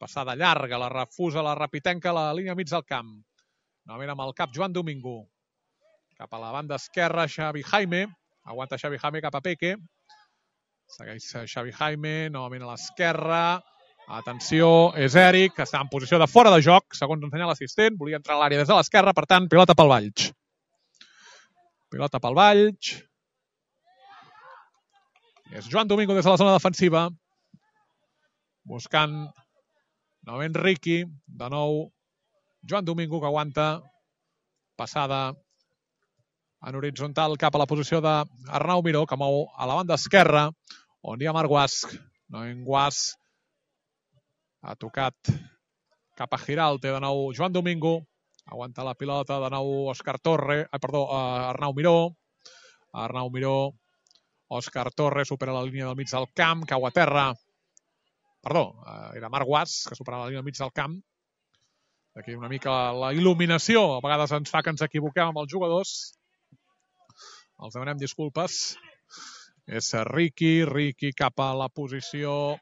Passada llarga, la refusa la Rapitenca a la línia mig del camp. Novament amb el cap Joan Domingo. Cap a la banda esquerra, Xavi Jaime. Aguanta Xavi Jaime cap a Peque. Segueix Xavi Jaime, novament a l'esquerra. Atenció, és Eric, que està en posició de fora de joc, segons ensenya l'assistent. Volia entrar a l'àrea des de l'esquerra, per tant, pilota pel Valls. Pilota pel Valls. És Joan Domingo des de la zona defensiva. Buscant novament Riqui, de nou Joan Domingo, que aguanta passada en horitzontal cap a la posició d'Arnau Miró, que mou a la banda esquerra, on hi ha Marc Guasch. Novament Guasch ha tocat cap a Giralte, de nou Joan Domingo, aguanta la pilota, de nou Òscar Torre, Arnau Miró. Arnau Miró, Òscar Torre supera la línia del mig del camp, cau a terra. Perdó, era Marc Guasch, que superava la línia del mig del camp. Aquí una mica la il·luminació. A vegades ens fa que ens equivoquem amb els jugadors. Els demanem disculpes. És Riqui cap a la posició.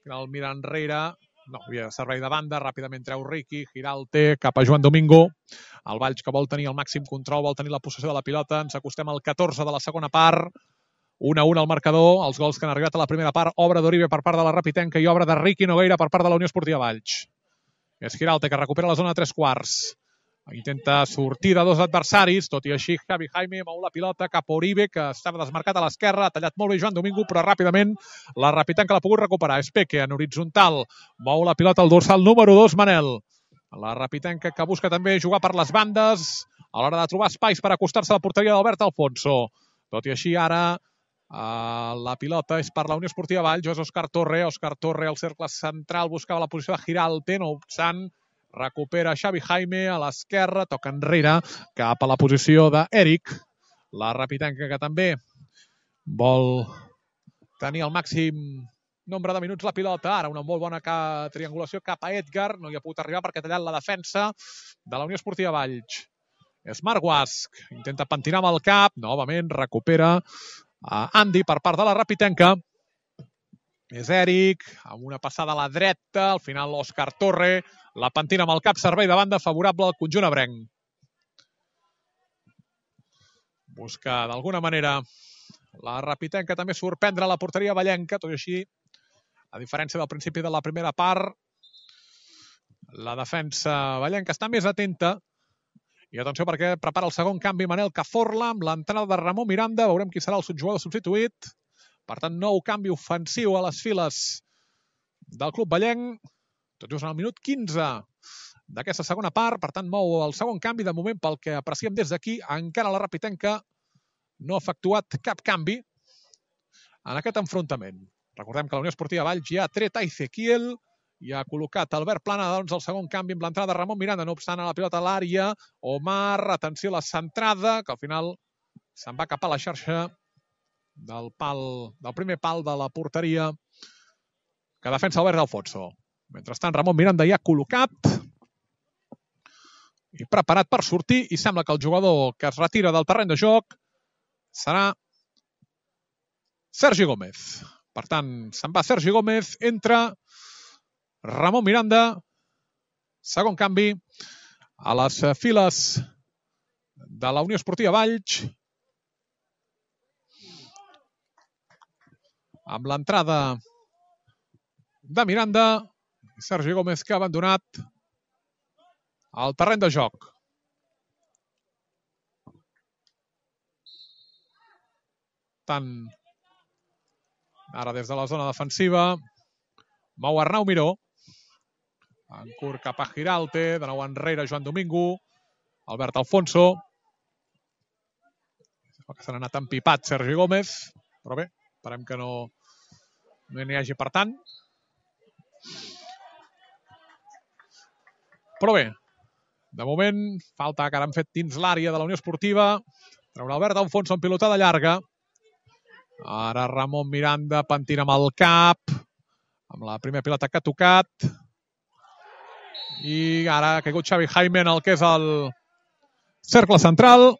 El mira enrere. No, hi havia servei de banda. Ràpidament treu Riqui. Giralte cap a Joan Domingo. El Valls, que vol tenir el màxim control, vol tenir la possessió de la pilota. Ens acostem al 14 de la segona part. 1-1 al marcador, els gols que han arribat a la primera part, obra d'Oribe per part de la Rapitenca i obra de Riqui Nogueira per part de la Unió Esportiva Valls. És Giralte, que recupera la zona de 3/4. Intenta sortir de 2 adversaris, tot i així Xavi Jaime mou la pilota cap a Oribe, que estava desmarcat a l'esquerra, ha tallat molt bé Joan Domingo, però ràpidament la Rapitenca l'ha pogut recuperar. És Peque, en horitzontal, mou la pilota al dorsal número 2, Manel. La Rapitenca, que busca també jugar per les bandes, a l'hora de trobar espais per acostar-se a la porteria d'Albert Alfonso. Tot i així, ara la pilota és per la Unió Esportiva Valls, és Òscar Torre. Òscar Torre al cercle central buscava la posició de Giralte, no obstant recupera Xavi Jaime a l'esquerra, toca enrere cap a la posició d'Eric. La Rapitenca, que també vol tenir el màxim nombre de minuts la pilota. Ara una molt bona triangulació cap a Edgar, no hi ha pogut arribar perquè ha tallat la defensa de la Unió Esportiva Valls. És Marc Guasch, intenta pentinar amb el cap, novament recupera Andy per part de la Rapitenca. És Eric, amb una passada a la dreta, al final Òscar Torre, la pentina amb el cap, servei de banda favorable al conjunt ebrenc. Busca d'alguna manera la Rapitenca també sorprendre la porteria vallenca, tot i així, a diferència del principi de la primera part, la defensa vallenca està més atenta. I atenció perquè prepara el segon canvi Manel Cazorla amb l'entrada de Ramon Miranda. Veurem qui serà el jugador substituït. Per tant, nou canvi ofensiu a les files del club vallenc. Tot just en el minut 15 d'aquesta segona part. Per tant, mou el segon canvi. De moment, pel que apreciem des d'aquí, encara la Rapitenca no ha efectuat cap canvi en aquest enfrontament. Recordem que la Unió Esportiva Valls ja ha tret a Ezequiel i ha col·locat Albert Plana, doncs, el segon canvi amb l'entrada de Ramon Miranda. No obstant, a la pilota a l'àrea, Omar, atenció a la centrada, que al final se'n va cap a la xarxa del primer pal de la porteria que defensa Albert Alfonso. Mentrestant, Ramon Miranda ja col·locat i preparat per sortir, i sembla que el jugador que es retira del terreny de joc serà Sergi Gómez. Per tant, se'n va Sergi Gómez, entra Ramon Miranda, segon canvi a les files de la Unió Esportiva Valls, amb l'entrada de Miranda i Sergi Gómez, que ha abandonat el terreny de joc. Tant ara des de la zona defensiva mou Arnau Miró, en curt cap a Giralte, de nou enrere Joan Domingo, Albert Alfonso, que se n'ha anat empipat Sergi Gómez, però bé, esperem que no n'hi hagi per tant. Però bé, de moment, falta que ara han fet dins l'àrea de la Unió Esportiva, traurà Albert Alfonso en pilotada llarga, ara Ramon Miranda pentina amb el cap, amb la primera pilota que ha tocat, i ara ha caigut Xavi Jaime en el que és el cercle central.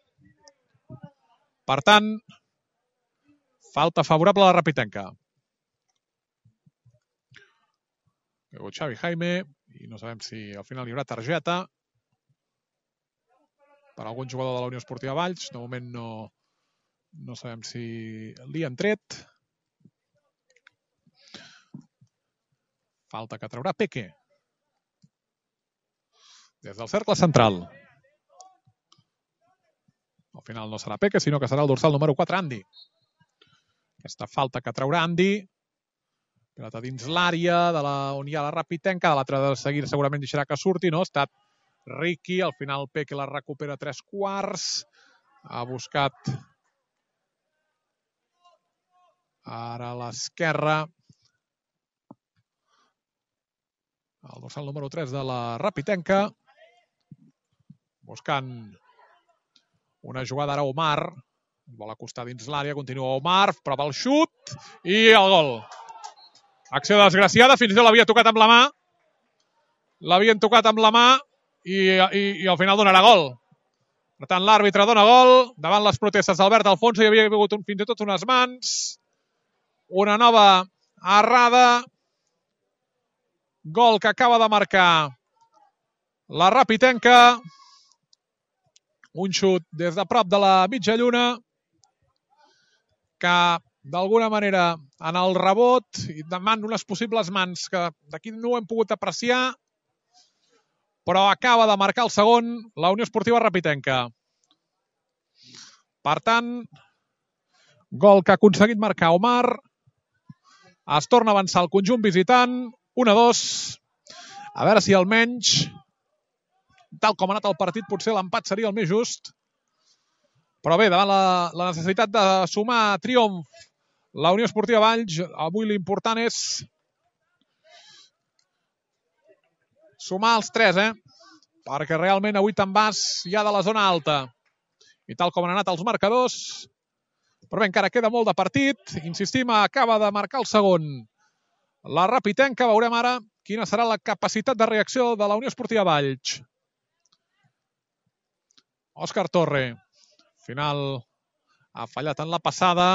Per tant, falta favorable a la Rapitenca. Ha caigut Xavi Jaime i no sabem si al final hi haurà targeta per algun jugador de la Unió Esportiva Valls. De moment no sabem si li han tret. Falta que traurà Peque des del cercle central. Al final no serà Peque, sinó que serà el dorsal número 4, Andy. Aquesta falta que traurà Andy. Pilota dins l'àrea on hi ha la Rapitenca. De l'altre de seguir segurament deixarà que surti. No, ha estat Ricky. Al final Peque la recupera a 3/4. Ha buscat ara a l'esquerra el dorsal número 3 de la Rapitenca. Buscant una jugada ara Omar. Vol acostar dins l'àrea. Continua Omar. Prova el xut. I el gol. Acció desgraciada. Fins i tot l'havia tocat amb la mà. L'havien tocat amb la mà i al final donarà gol. Per tant, l'àrbitre dona gol. Davant les protestes d'Albert Alfonso hi havia hagut fins i tot unes mans. Una nova errada. Gol que acaba de marcar la Rapitenca. Un xut des de prop de la mitja lluna que d'alguna manera en el rebot i davant unes possibles mans que d'aquí no ho hem pogut apreciar, però acaba de marcar el segon la Unió Esportiva Rapitenca. Per tant, gol que ha aconseguit marcar Omar. Es torna a avançar el conjunt visitant. 1-2. A veure si almenys, tal com ha anat el partit, potser l'empat seria el més just. Però bé, davant la necessitat de sumar triomf la Unió Esportiva Valls, avui l'important és sumar els 3, perquè realment avui te'n vas ja de la zona alta. I tal com han anat els marcadors, però bé, encara queda molt de partit. Insistim, acaba de marcar el segon la Rapitenca. Veurem ara quina serà la capacitat de reacció de la Unió Esportiva Valls. Òscar Torre, final ha fallat en la passada.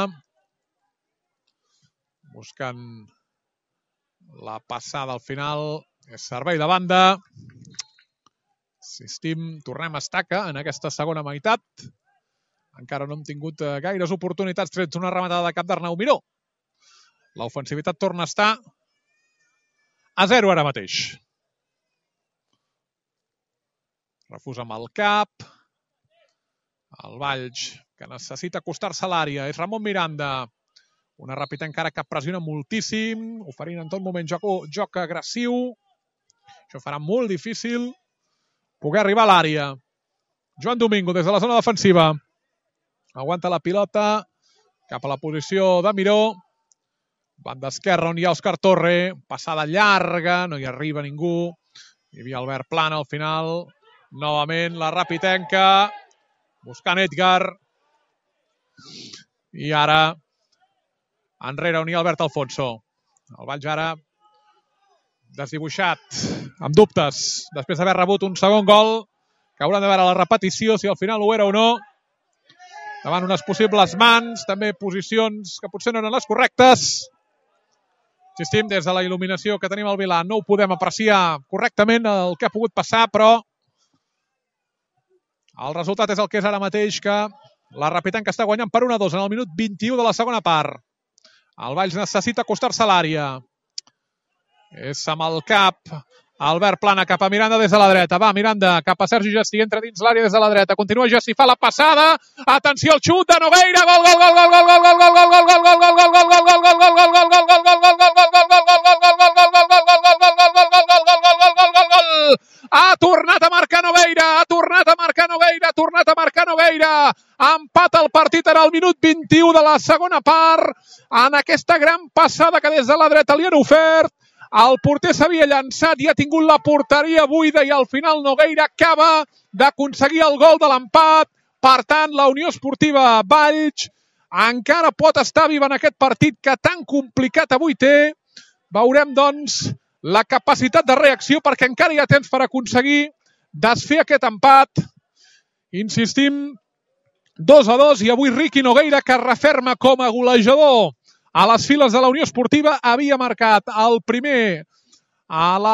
buscant la passada al final. És servei de banda. Insistim, tornem a estaca en aquesta segona meitat. Encara no hem tingut gaires oportunitats trets una rematada de cap d'Arnau Miró. L'ofensivitat torna a estar a 0 ara mateix. Refús amb el cap. El Valls, que necessita acostar-se a l'àrea. És Ramon Miranda. Una ràpida encara que pressiona moltíssim, oferint en tot moment joc agressiu. Això farà molt difícil poder arribar a l'àrea. Joan Domingo des de la zona defensiva. Aguanta la pilota cap a la posició de Miró. Banda esquerra on hi ha Òscar Torre. Passada llarga, no hi arriba ningú. Hi havia Albert Plana al final. Novament la Rapitenca. Buscant Edgar. I ara enrere on hi ha Albert Alfonso. El Valls ara desdibuixat, amb dubtes, després d'haver rebut un segon gol, que hauran de veure la repetició, si al final ho era o no. Davant unes possibles mans, també posicions que potser no eren les correctes. Insistim, des de la il·luminació que tenim al Vilà no ho podem apreciar correctament el que ha pogut passar, però el resultat és el que és ara mateix, que la Rapitenca està guanyant per 1-2 en el minut 21 de la segona part. El Valls necessita acostar-se a l'àrea. És amb el cap. Albert Plana cap a Miranda des de la dreta. Va, Miranda cap a Sergi Gestí. Entra dins l'àrea des de la dreta. Continua Gestí, fa la passada. Atenció al xut de Nogueira. Gol, gol, gol, gol, gol, gol, gol, gol, gol, gol, gol, gol, gol, gol, gol, gol, gol, gol, gol, gol, ha tornat a marcar Nogueira, ha tornat a marcar Nogueira, ha tornat a marcar Nogueira. Empata el partit en el minut 21 de la segona part. En aquesta gran passada que des de la dreta li han ofert. El porter s'havia llançat i ha tingut la porteria buida i al final Nogueira acaba d'aconseguir el gol de l'empat. Per tant, la Unió Esportiva Valls encara pot estar viva en aquest partit que tan complicat avui té. Veurem, doncs, la capacitat de reacció perquè encara hi ha temps per aconseguir desfer aquest empat. Insistim, 2-2 i avui Riqui Nogueira, que referma com a golejador a les files de la Unió Esportiva, havia marcat el primer que ha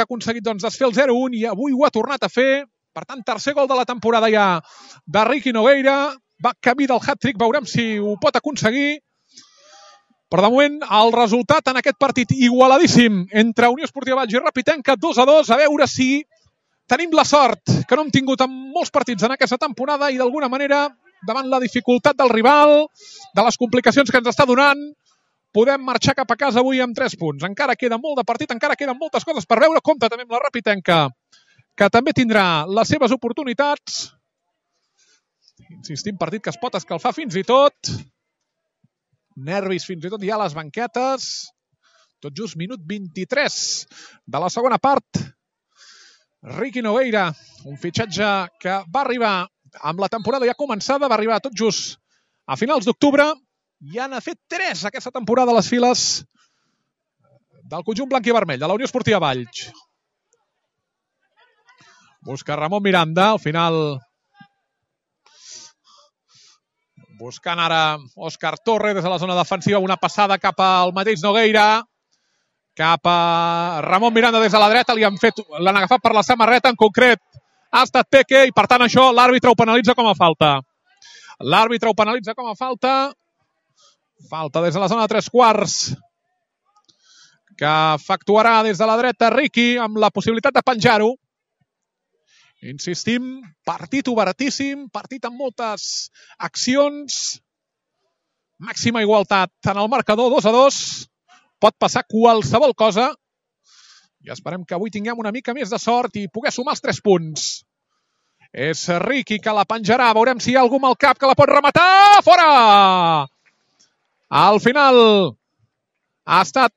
aconseguit desfer el 0-1 i avui ho ha tornat a fer. Per tant, tercer gol de la temporada ja de Riqui Nogueira. Va camí del hat-trick, veurem si ho pot aconseguir. Però de moment el resultat en aquest partit igualadíssim entre Unió Esportiva Valls i Rapitenca, 2-2, a veure si tenim la sort que no hem tingut en molts partits en aquesta temporada i d'alguna manera, davant la dificultat del rival, de les complicacions que ens està donant, podem marxar cap a casa avui amb 3 punts. Encara queda molt de partit, encara queden moltes coses per veure. Compte també amb la Rapitenca, que també tindrà les seves oportunitats. Insistim, partit que es pot escalfar fins i tot. Nervis fins i tot ja a les banquetes. Tot just minut 23 de la segona part. Riqui Nogueira, un fitxatge que va arribar amb la temporada ja començada, va arribar tot just a finals d'octubre i n'ha fet 3 aquesta temporada a les files del conjunt blanc i vermell, de la Unió Esportiva Valls. Busca Ramon Miranda, al final buscant ara Òscar Torre des de la zona defensiva, una passada cap al mateix Nogueira, cap a Ramon Miranda des de la dreta, l'han agafat per la samarreta, en concret ha estat Peque i per tant això l'àrbitre ho penalitza com a falta. L'àrbitre ho penalitza com a falta. Falta des de la zona de 3/4 que efectuarà des de la dreta Riqui amb la possibilitat de penjar-ho. Insistim, partit obertíssim, partit amb moltes accions, màxima igualtat en el marcador, 2-2. Pot passar qualsevol cosa i esperem que avui tinguem una mica més de sort i poder sumar els 3 punts. És Riqui que la penjarà, veurem si hi ha algú amb el cap que la pot rematar. Fora! Al final ha estat,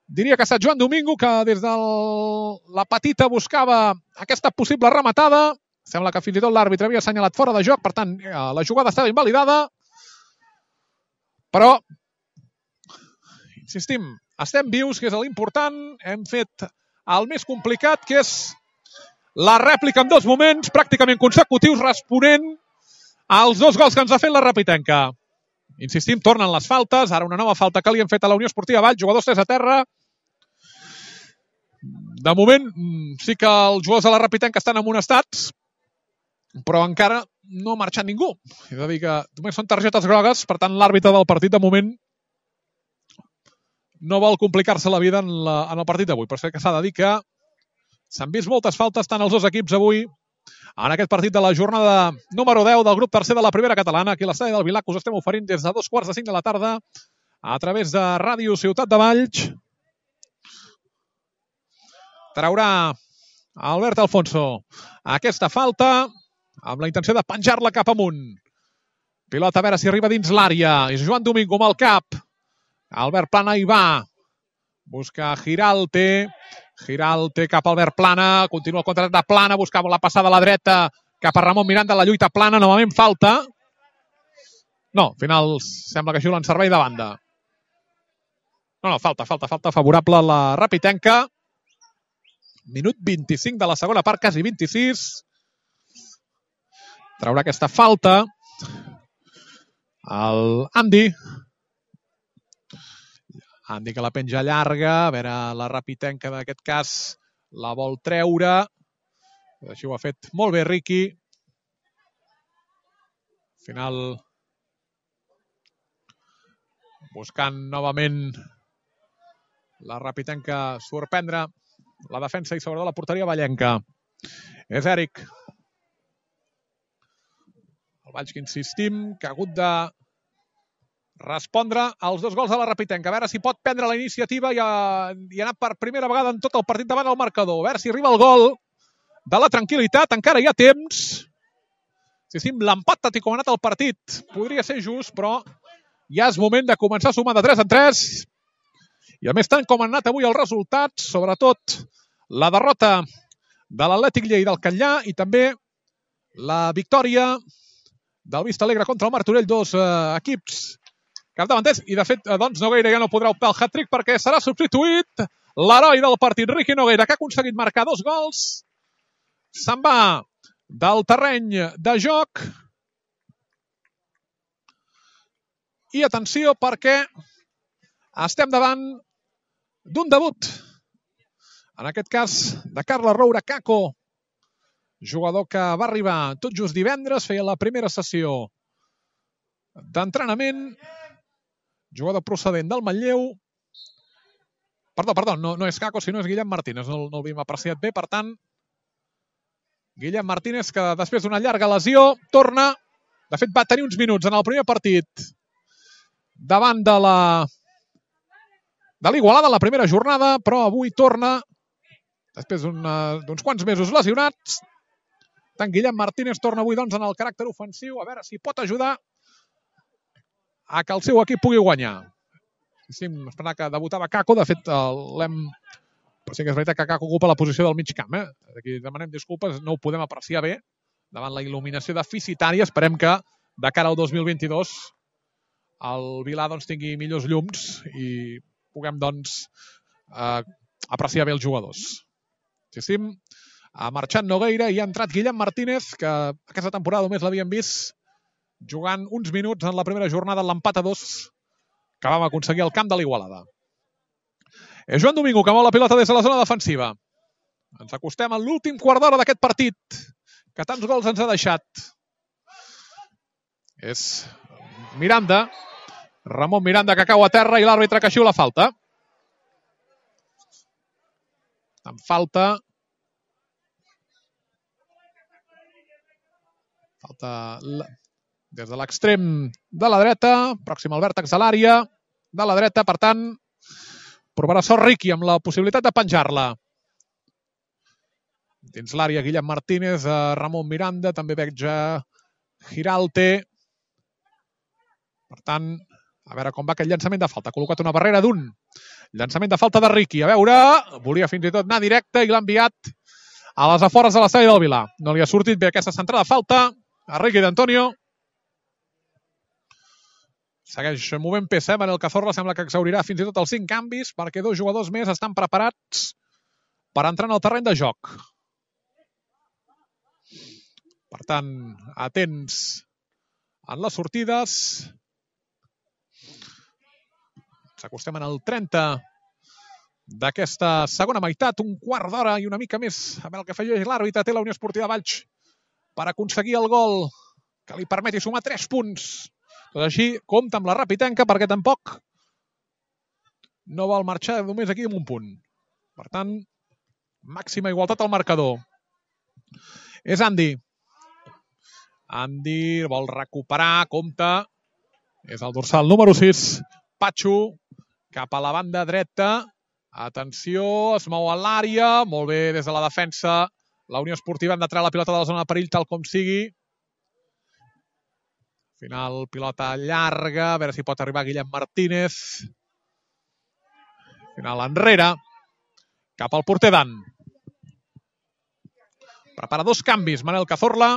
diria que ha estat Joan Domingo, que des de la petita buscava aquesta possible rematada. Sembla que fins i tot l'àrbitre havia assenyalat fora de joc, per tant la jugada estava invalidada. Però insistim, estem vius, que és l'important. Hem fet el més complicat, que és la rèplica en 2 moments pràcticament consecutius, responent als 2 gols que ens ha fet la Rapitenca. Insistim, tornen les faltes. Ara una nova falta que li han fet a la Unió Esportiva Valls. Jugadors 3 a terra. De moment, sí que els jugadors de la Rapitenca estan amonestats, però encara no ha marxat ningú. És a dir, que només són targetes grogues, per tant, l'àrbitre del partit, de moment, no vol complicar-se la vida en el partit d'avui. Però sé que s'ha de dir que s'han vist moltes faltes tant els dos equips avui en aquest partit de la jornada número 10 del grup tercer de la primera catalana. Aquí a l'estadi del Vilar, que us estem oferint des de 2:45 de la tarda a través de Ràdio Ciutat de Valls. Traurà Albert Alfonso aquesta falta amb la intenció de penjar-la cap amunt. Pilota a veure si arriba dins l'àrea. És Joan Domingo amb el cap. Albert Plana hi va. Busca Giralte. Giralte cap a Albert Plana. Continua el contraatac de Plana. Buscava la passada a la dreta cap a Ramon Miranda. La lluita Plana. Novament falta. No, al final sembla que xiulen servei de banda. No, falta favorable a la Rapitenca. Minut 25 de la segona part, quasi 26. Traurà aquesta falta el Andy. Andy que la penja llarga. A veure, la Rapitenca d'aquest cas la vol treure. Així ho ha fet molt bé Riqui. Al final, buscant novament la Rapitenca sorprendre la defensa i sobretot la porteria vallenca. És Eric. El Valls que insistim, que ha hagut de respondre als dos gols de la Rapitenca. A veure si pot prendre la iniciativa i anar per primera vegada en tot el partit davant el marcador. A veure si arriba el gol de la tranquil·litat. Encara hi ha temps. Insistim, l'empat tot i com ha anat el partit podria ser just, però ja és moment de començar a sumar de 3 en 3. I a més tant com han anat avui els resultats, sobretot la derrota de l'Atlètic Lleida del Catllar i també la victòria del Vista Alegre contra el Martorell, dos equips capdavanters. I de fet, doncs, Nogueira ja no podrà optar al hat-trick perquè serà substituït l'heroi del partit, Riqui Nogueira, que ha aconseguit marcar 2 gols. Se'n va del terreny de joc. I atenció perquè estem davant d'un debut. En aquest cas, de Carles Roura Caco, jugador que va arribar tot just divendres, feia la primera sessió d'entrenament, jugador procedent del Manlleu. Perdó, no és Caco, sinó és Guillem Martínez, no l'havíem apreciat bé, per tant, Guillem Martínez, que després d'una llarga lesió, torna, de fet va tenir uns minuts en el primer partit, davant de l'Igualada, la primera jornada, però avui torna, després d'uns quants mesos lesionats. Tant Guillem Martínez torna avui doncs, en el caràcter ofensiu, a veure si pot ajudar a que el seu equip pugui guanyar. Sí, esperar que debutava Caco, de fet però sí que és veritat que Caco ocupa la posició del mig camp. Aquí demanem disculpes, no ho podem apreciar bé davant la il·luminació deficitària. Esperem que de cara al 2022 el Vilar doncs, tingui millors llums i puguem doncs, apreciar bé els jugadors. Ha marxat Nogueira i ha entrat Guillem Martínez, que aquesta temporada només l'havíem vist jugant uns minuts en la primera jornada en l'empat a 2 que vam aconseguir al camp de l'Igualada. És Joan Domingo que mou la pilota des de la zona defensiva. Ens acostem a l'últim quart d'hora d'aquest partit, que tants gols ens ha deixat. És Miranda, Ramon Miranda, que cau a terra i l'àrbitre que xiula falta. En falta des de l'extrem de la dreta, pròxim al vèrtex de l'àrea de la dreta, per tant, provarà sort Riqui amb la possibilitat de penjar-la. Dins l'àrea, Guillem Martínez, Ramon Miranda, també veig Giralte. Per tant, a veure com va aquest llançament de falta. Ha col·locat una barrera d'un. Llançament de falta de Riqui. A veure, volia fins i tot anar directe i l'ha enviat a les afores de l'estadi del Vilar. No li ha sortit bé aquesta centrada de falta a Riqui d'Antonio. Segueix movent peça, Manel Cazorla sembla que exhaurirà fins i tot els 5 canvis perquè 2 jugadors més estan preparats per entrar en el terreny de joc. Per tant, atents en les sortides. S'acostem en el 30 d'aquesta segona meitat, un quart d'hora i una mica més a veure el que feia l'àrbitre. Té la Unió Esportiva Valls per aconseguir el gol que li permeti sumar 3 punts. Tot així, compta amb la Rapitenca perquè tampoc no vol marxar només aquí amb un punt. Per tant, màxima igualtat al marcador. És Andy. Andy vol recuperar, compta. És el dorsal número 6. Patxo, cap a la banda dreta. Atenció, es mou a l'àrea. Molt bé des de la defensa. La Unió Esportiva hem de treure la pilota de la zona de perill tal com sigui. Al final, pilota llarga. A veure si pot arribar Guillem Martínez. Al final, enrere. Cap al porter Dan. Prepara 2 canvis. Manel Cazorla.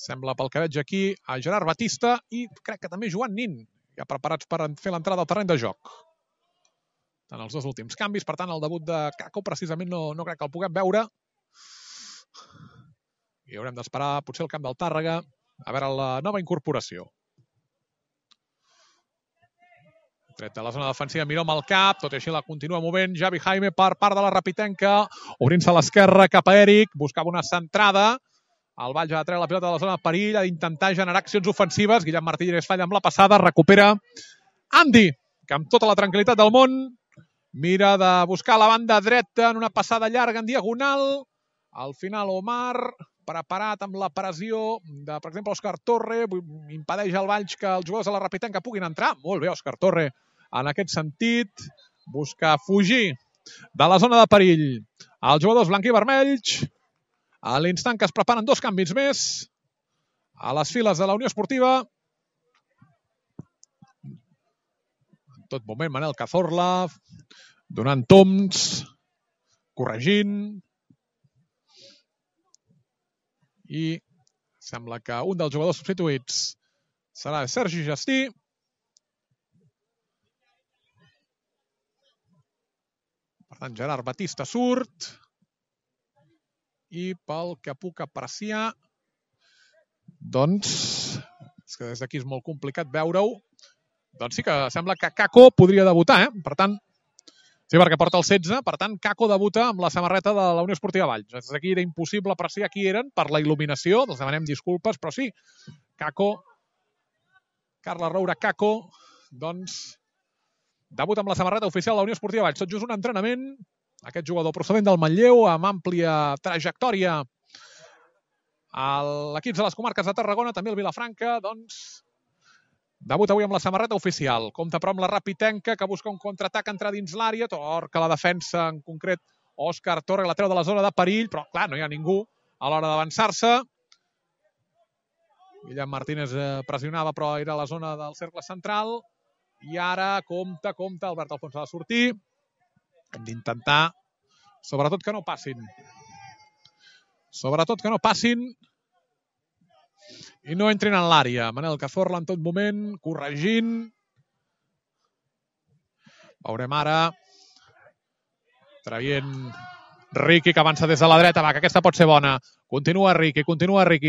Sembla, pel que veig aquí, a Gerard Batista i crec que també Joan Nin, ja preparats per fer l'entrada al terreny de joc. En els 2 últims canvis, per tant, el debut de Kako precisament no crec que el puguem veure. I haurem d'esperar potser el camp del Tàrrega a veure la nova incorporació. Tret de la zona defensiva, Miró amb el cap, tot i així la continua movent Javi Jaime per part de la Rapitenca, obrint-se a l'esquerra cap a Eric, buscava una centrada. El Valls ha de treure la pilota de la zona de perill, ha d'intentar generar accions ofensives. Guillem Martínez falla amb la passada, recupera Andy, que amb tota la tranquil·litat del món mira de buscar la banda dreta en una passada llarga en diagonal. Al final Omar, preparat amb la pressió de, per exemple, Òscar Torre, impedeix al Valls que els jugadors de la Rapitenca puguin entrar. Molt bé, Òscar Torre, en aquest sentit, busca fugir de la zona de perill. Els jugadors blanc-i-vermells, a l'instant que es preparen 2 canvis més a les files de la Unió Esportiva. En tot moment, Manel Cazorla donant toms, corregint. I sembla que un dels jugadors substituïts serà Sergi Gestí. Per tant, Gerard Batista surt. I pel que puc apreciar, doncs, és que des d'aquí és molt complicat veure-ho, doncs sí que sembla que Kako podria debutar, Per tant, sí, perquè porta el 16, per tant, Kako debuta amb la samarreta de la Unió Esportiva Valls. Des d'aquí era impossible apreciar qui eren per la il·luminació, els demanem disculpes, però sí, Kako, Carles Roura Kako, doncs, debuta amb la samarreta oficial de la Unió Esportiva Valls. Tot just un entrenament. Aquest jugador procedent del Manlleu, amb àmplia trajectòria a l'equip de les comarques de Tarragona, també el Vilafranca, doncs, debuta avui amb la samarreta oficial. Compta però amb la Rapitenca, que busca un contraatac entrar dins l'àrea, torca la defensa, en concret Òscar Torre, la treu de la zona de perill, però clar, no hi ha ningú a l'hora d'avançar-se. Guillem Martínez pressionava, però era a la zona del cercle central. I ara, compta, Albert Alfonso ha de sortir. Hem d'intentar, sobretot que no passin. Sobretot que no passin i no entrin en l'àrea. Manel Cazorla en tot moment, corregint. Veurem ara. Traient Riqui, que avança des de la dreta. Va, que aquesta pot ser bona. Continua Riqui.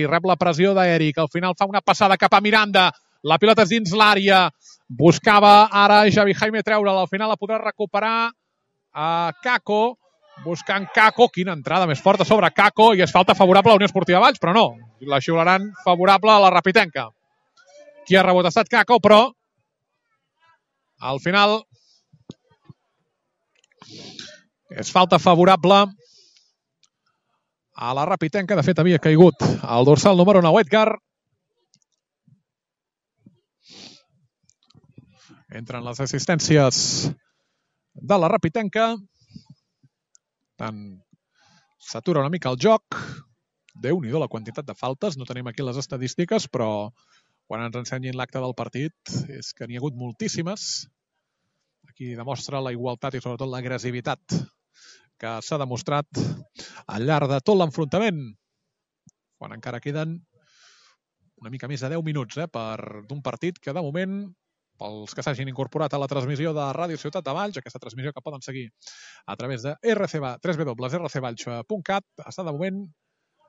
Rep la pressió d'Eric. Al final fa una passada cap a Miranda. La pilota és dins l'àrea. Buscava ara Javi Jaime treure'la. Al final la podrà recuperar a Kako, buscant Kako, quina entrada més forta sobre Kako, i és falta favorable a la Unió Esportiva Valls, però no, la xiularan favorable a la Rapitenca. Qui ha rebut ha estat Kako, però al final és falta favorable a la Rapitenca. De fet, havia caigut el dorsal número 9, Edgar. Entren les assistències de la Rapitenca. Tant s'atura una mica el joc. Déu-n'hi-do la quantitat de faltes. No tenim aquí les estadístiques, però quan ens ensenyin l'acte del partit és que n'hi ha hagut moltíssimes. Aquí demostra la igualtat i sobretot l'agressivitat que s'ha demostrat al llarg de tot l'enfrontament. Quan encara queden una mica més de 10 minuts d'un partit que de moment, pels que s'hagin incorporat a la transmissió de Ràdio Ciutat de Valls, aquesta transmissió que poden seguir a través de www.rcvalls.cat, està de moment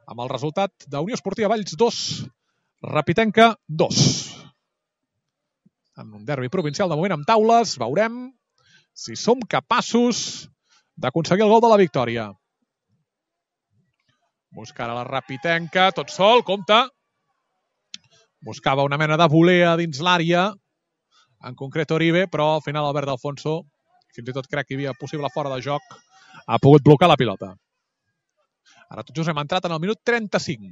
amb el resultat d'Unió Esportiva Valls 2, Rapitenca 2. en un derbi provincial de moment amb taules. Veurem si som capaços d'aconseguir el gol de la victòria. Busca ara la Rapitenca, tot sol, compte. Buscava una mena de volea dins l'àrea, en concret Oribe, però al final Albert Alfonso, fins i tot crec que hi havia possible fora de joc, ha pogut blocar la pilota. Ara tot just hem entrat en el minut 35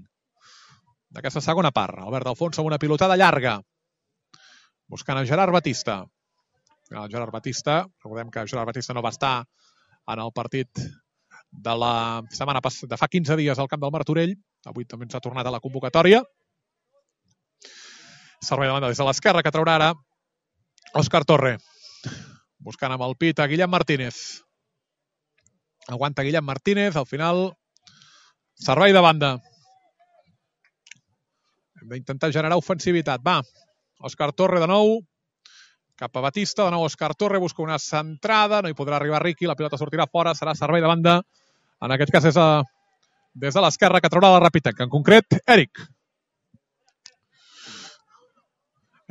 d'aquesta segona part. Albert Alfonso amb una pilotada llarga, buscant a Gerard Batista. Gerard Batista, recordem que Gerard Batista no va estar en el partit de la setmana passada, de fa 15 dies al camp del Martorell. Avui també ens ha tornat a la convocatòria. Servei de banda des de l'esquerra que traurà ara Òscar Torre. Buscant amb el pit a Guillem Martínez. Aguanta Guillem Martínez, al final servei de banda. Hem d'intentar generar ofensivitat. Va, Òscar Torre de nou, cap a Batista, de nou Òscar Torre, busca una centrada, no hi podrà arribar Riqui, la pilota sortirà fora, serà servei de banda. En aquest cas és des de l'esquerra que traurà la Rapitenca, en concret, Eric.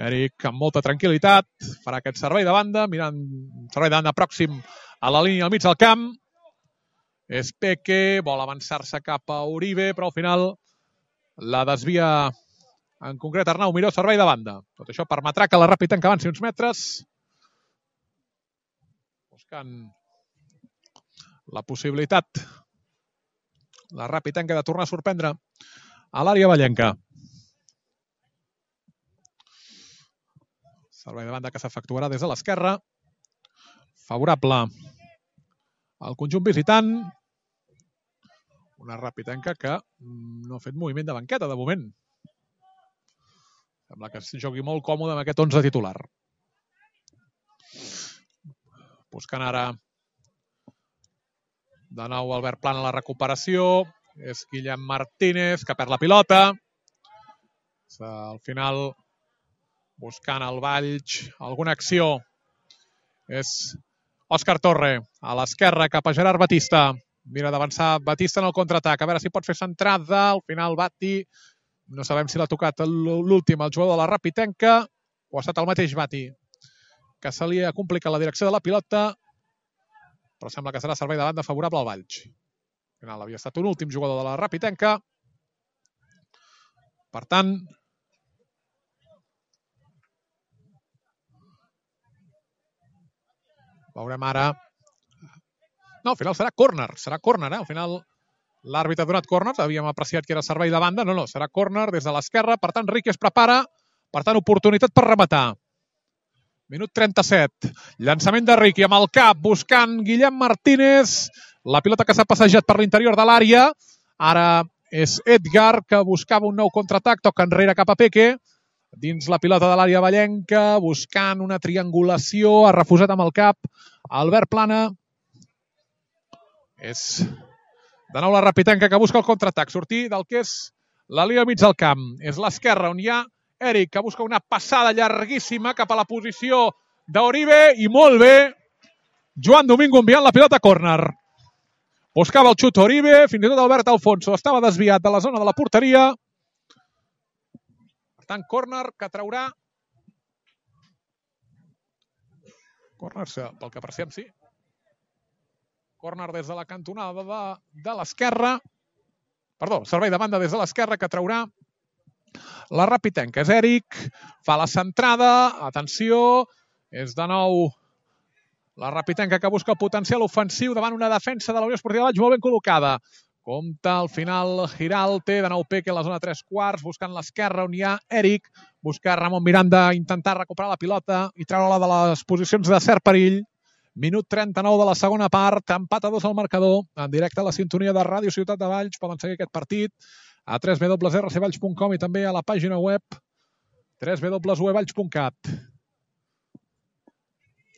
Eric amb molta tranquil·litat farà aquest servei de banda, mirant un servei de banda pròxim a la línia al mig del camp. És Peque, vol avançar-se cap a Oribe, però al final la desvia en concret Arnau Miró, servei de banda. Tot això permetrà que la Rapitenca avanci uns metres, buscant la possibilitat la Rapitenca de tornar a sorprendre a l'àrea vallenca. Servei de banda que s'efectuarà des de l'esquerra. Favorable al conjunt visitant. Una Rapitenca que no ha fet moviment de banqueta de moment. Sembla que es jugui molt còmode amb aquest 11 titular. Buscant ara de nou Albert Plana la recuperació. És Guillem Martínez que perd la pilota. Al final, buscant el Valls, alguna acció. És Òscar Torre a l'esquerra cap a Gerard Batista. Mira d'avançar Batista en el contraatac. A veure si pot fer centrada. Al final Bati, no sabem si l'ha tocat l'últim, el jugador de la Rapitenca, o ha estat el mateix Bati, que se li ha complicat la direcció de la pilota, però sembla que serà servei de banda favorable al Valls. Al final havia estat un últim jugador de la Rapitenca. Per tant, veurem ara. No, al final serà córner. Serà córner, Al final l'àrbitre ha donat córner. Havíem apreciat que era servei de banda. No, serà córner des de l'esquerra. Per tant, Riqui es prepara. Per tant, oportunitat per rematar. Minut 37. Llançament de Riqui amb el cap, buscant Guillem Martínez. La pilota que s'ha passejat per l'interior de l'àrea. Ara és Edgar, que buscava un nou contraatac. Toca enrere cap a Peque. Dins la pilota de l'àrea vallenca, buscant una triangulació. Ha refusat amb el cap Albert Plana. És de nou la Rapitenca que busca el contraatac. Sortir del que és la línia mig del camp. És l'esquerra on hi ha Eric, que busca una passada llarguíssima cap a la posició d'Oribe. I molt bé, Joan Domingo enviant la pilota a córner. Buscava el xut Oribe, fins i tot Albert Alfonso estava desviat de la zona de la porteria. Per tant, córner que traurà. Córner, pel que apreciem, sí. Córner des de la cantonada de l'esquerra. Perdó, servei de banda des de l'esquerra que traurà la Rapitenca. És Eric, fa la centrada, atenció, és de nou la Rapitenca que busca el potencial ofensiu davant una defensa de la Unió Esportiva Valls molt ben col·locada. Compte al final Giralte, de nou Peque a la zona 3/4, buscant l'esquerra on hi ha Eric, busca Ramon Miranda intentar recuperar la pilota i treure-la de les posicions de cert perill. Minut 39 de la segona part, empat a 2 al marcador, en directe a la sintonia de Ràdio Ciutat de Valls. Poden seguir aquest partit a www.rcvalls.com i també a la pàgina web www.valls.cat.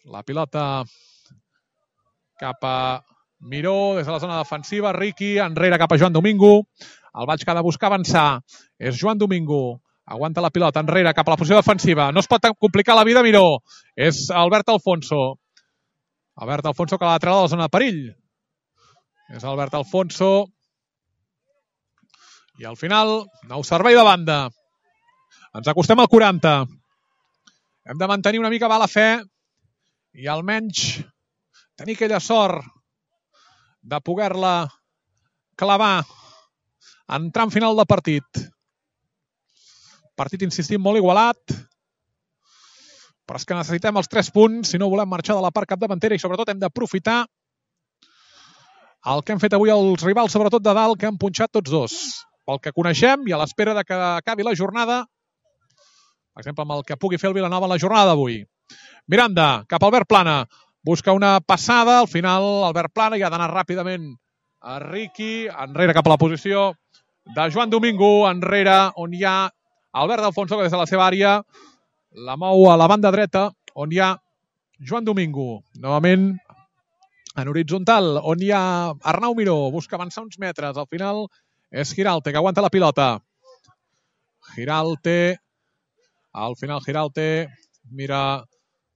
La pilota cap a Miró, des de la zona defensiva, Riqui, enrere cap a Joan Domingo. El Valls que ha de buscar avançar. És Joan Domingo. Aguanta la pilota enrere cap a la posició defensiva. No es pot complicar la vida a Miró. És Albert Alfonso. Albert Alfonso que l'ha de treure de la zona de perill. És Albert Alfonso. I al final, nou servei de banda. Ens acostem al 40. Hem de mantenir una mica la fe i almenys tenir aquella sort de poder-la clavar en tram final de partit. Partit, insistim, molt igualat, però és que necessitem els 3 punts si no volem marxar de la part capdavantera i sobretot hem d'aprofitar el que han fet avui els rivals, sobretot de dalt, que han punxat tots dos. Pel que coneixem i a l'espera de que acabi la jornada, per exemple, amb el que pugui fer el Vilanova en la jornada d'avui. Miranda, cap a Albert Plana. Busca una passada, al final Albert Plana ja ha d'anar ràpidament a Riqui, enrere cap a la posició de Joan Domingo, enrere on hi ha Albert Alfonso, que des de la seva àrea la mou a la banda dreta, on hi ha Joan Domingo. Novament en horitzontal, on hi ha Arnau Miró, busca avançar uns metres. Al final és Giralte, que aguanta la pilota. Giralte, al final Giralte mira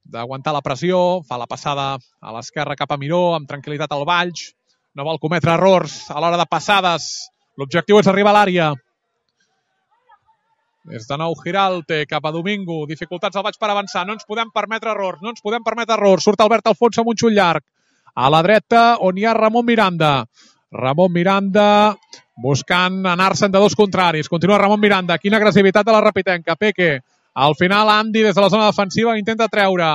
d'aguantar la pressió, fa la passada a l'esquerra cap a Miró, amb tranquil·litat al Valls, no vol cometre errors a l'hora de passades. L'objectiu és arribar a l'àrea. És de nou Giralte cap a Domingo, dificultats al Valls per avançar, no ens podem permetre errors, surt Albert Alfonso amb un xut llarg. A la dreta, on hi ha Ramon Miranda. Ramon Miranda buscant anar-se'n de dos contraris. Continua Ramon Miranda, quina agressivitat de la Rapitenca. Peque. Al final, Andy, des de la zona defensiva, intenta treure.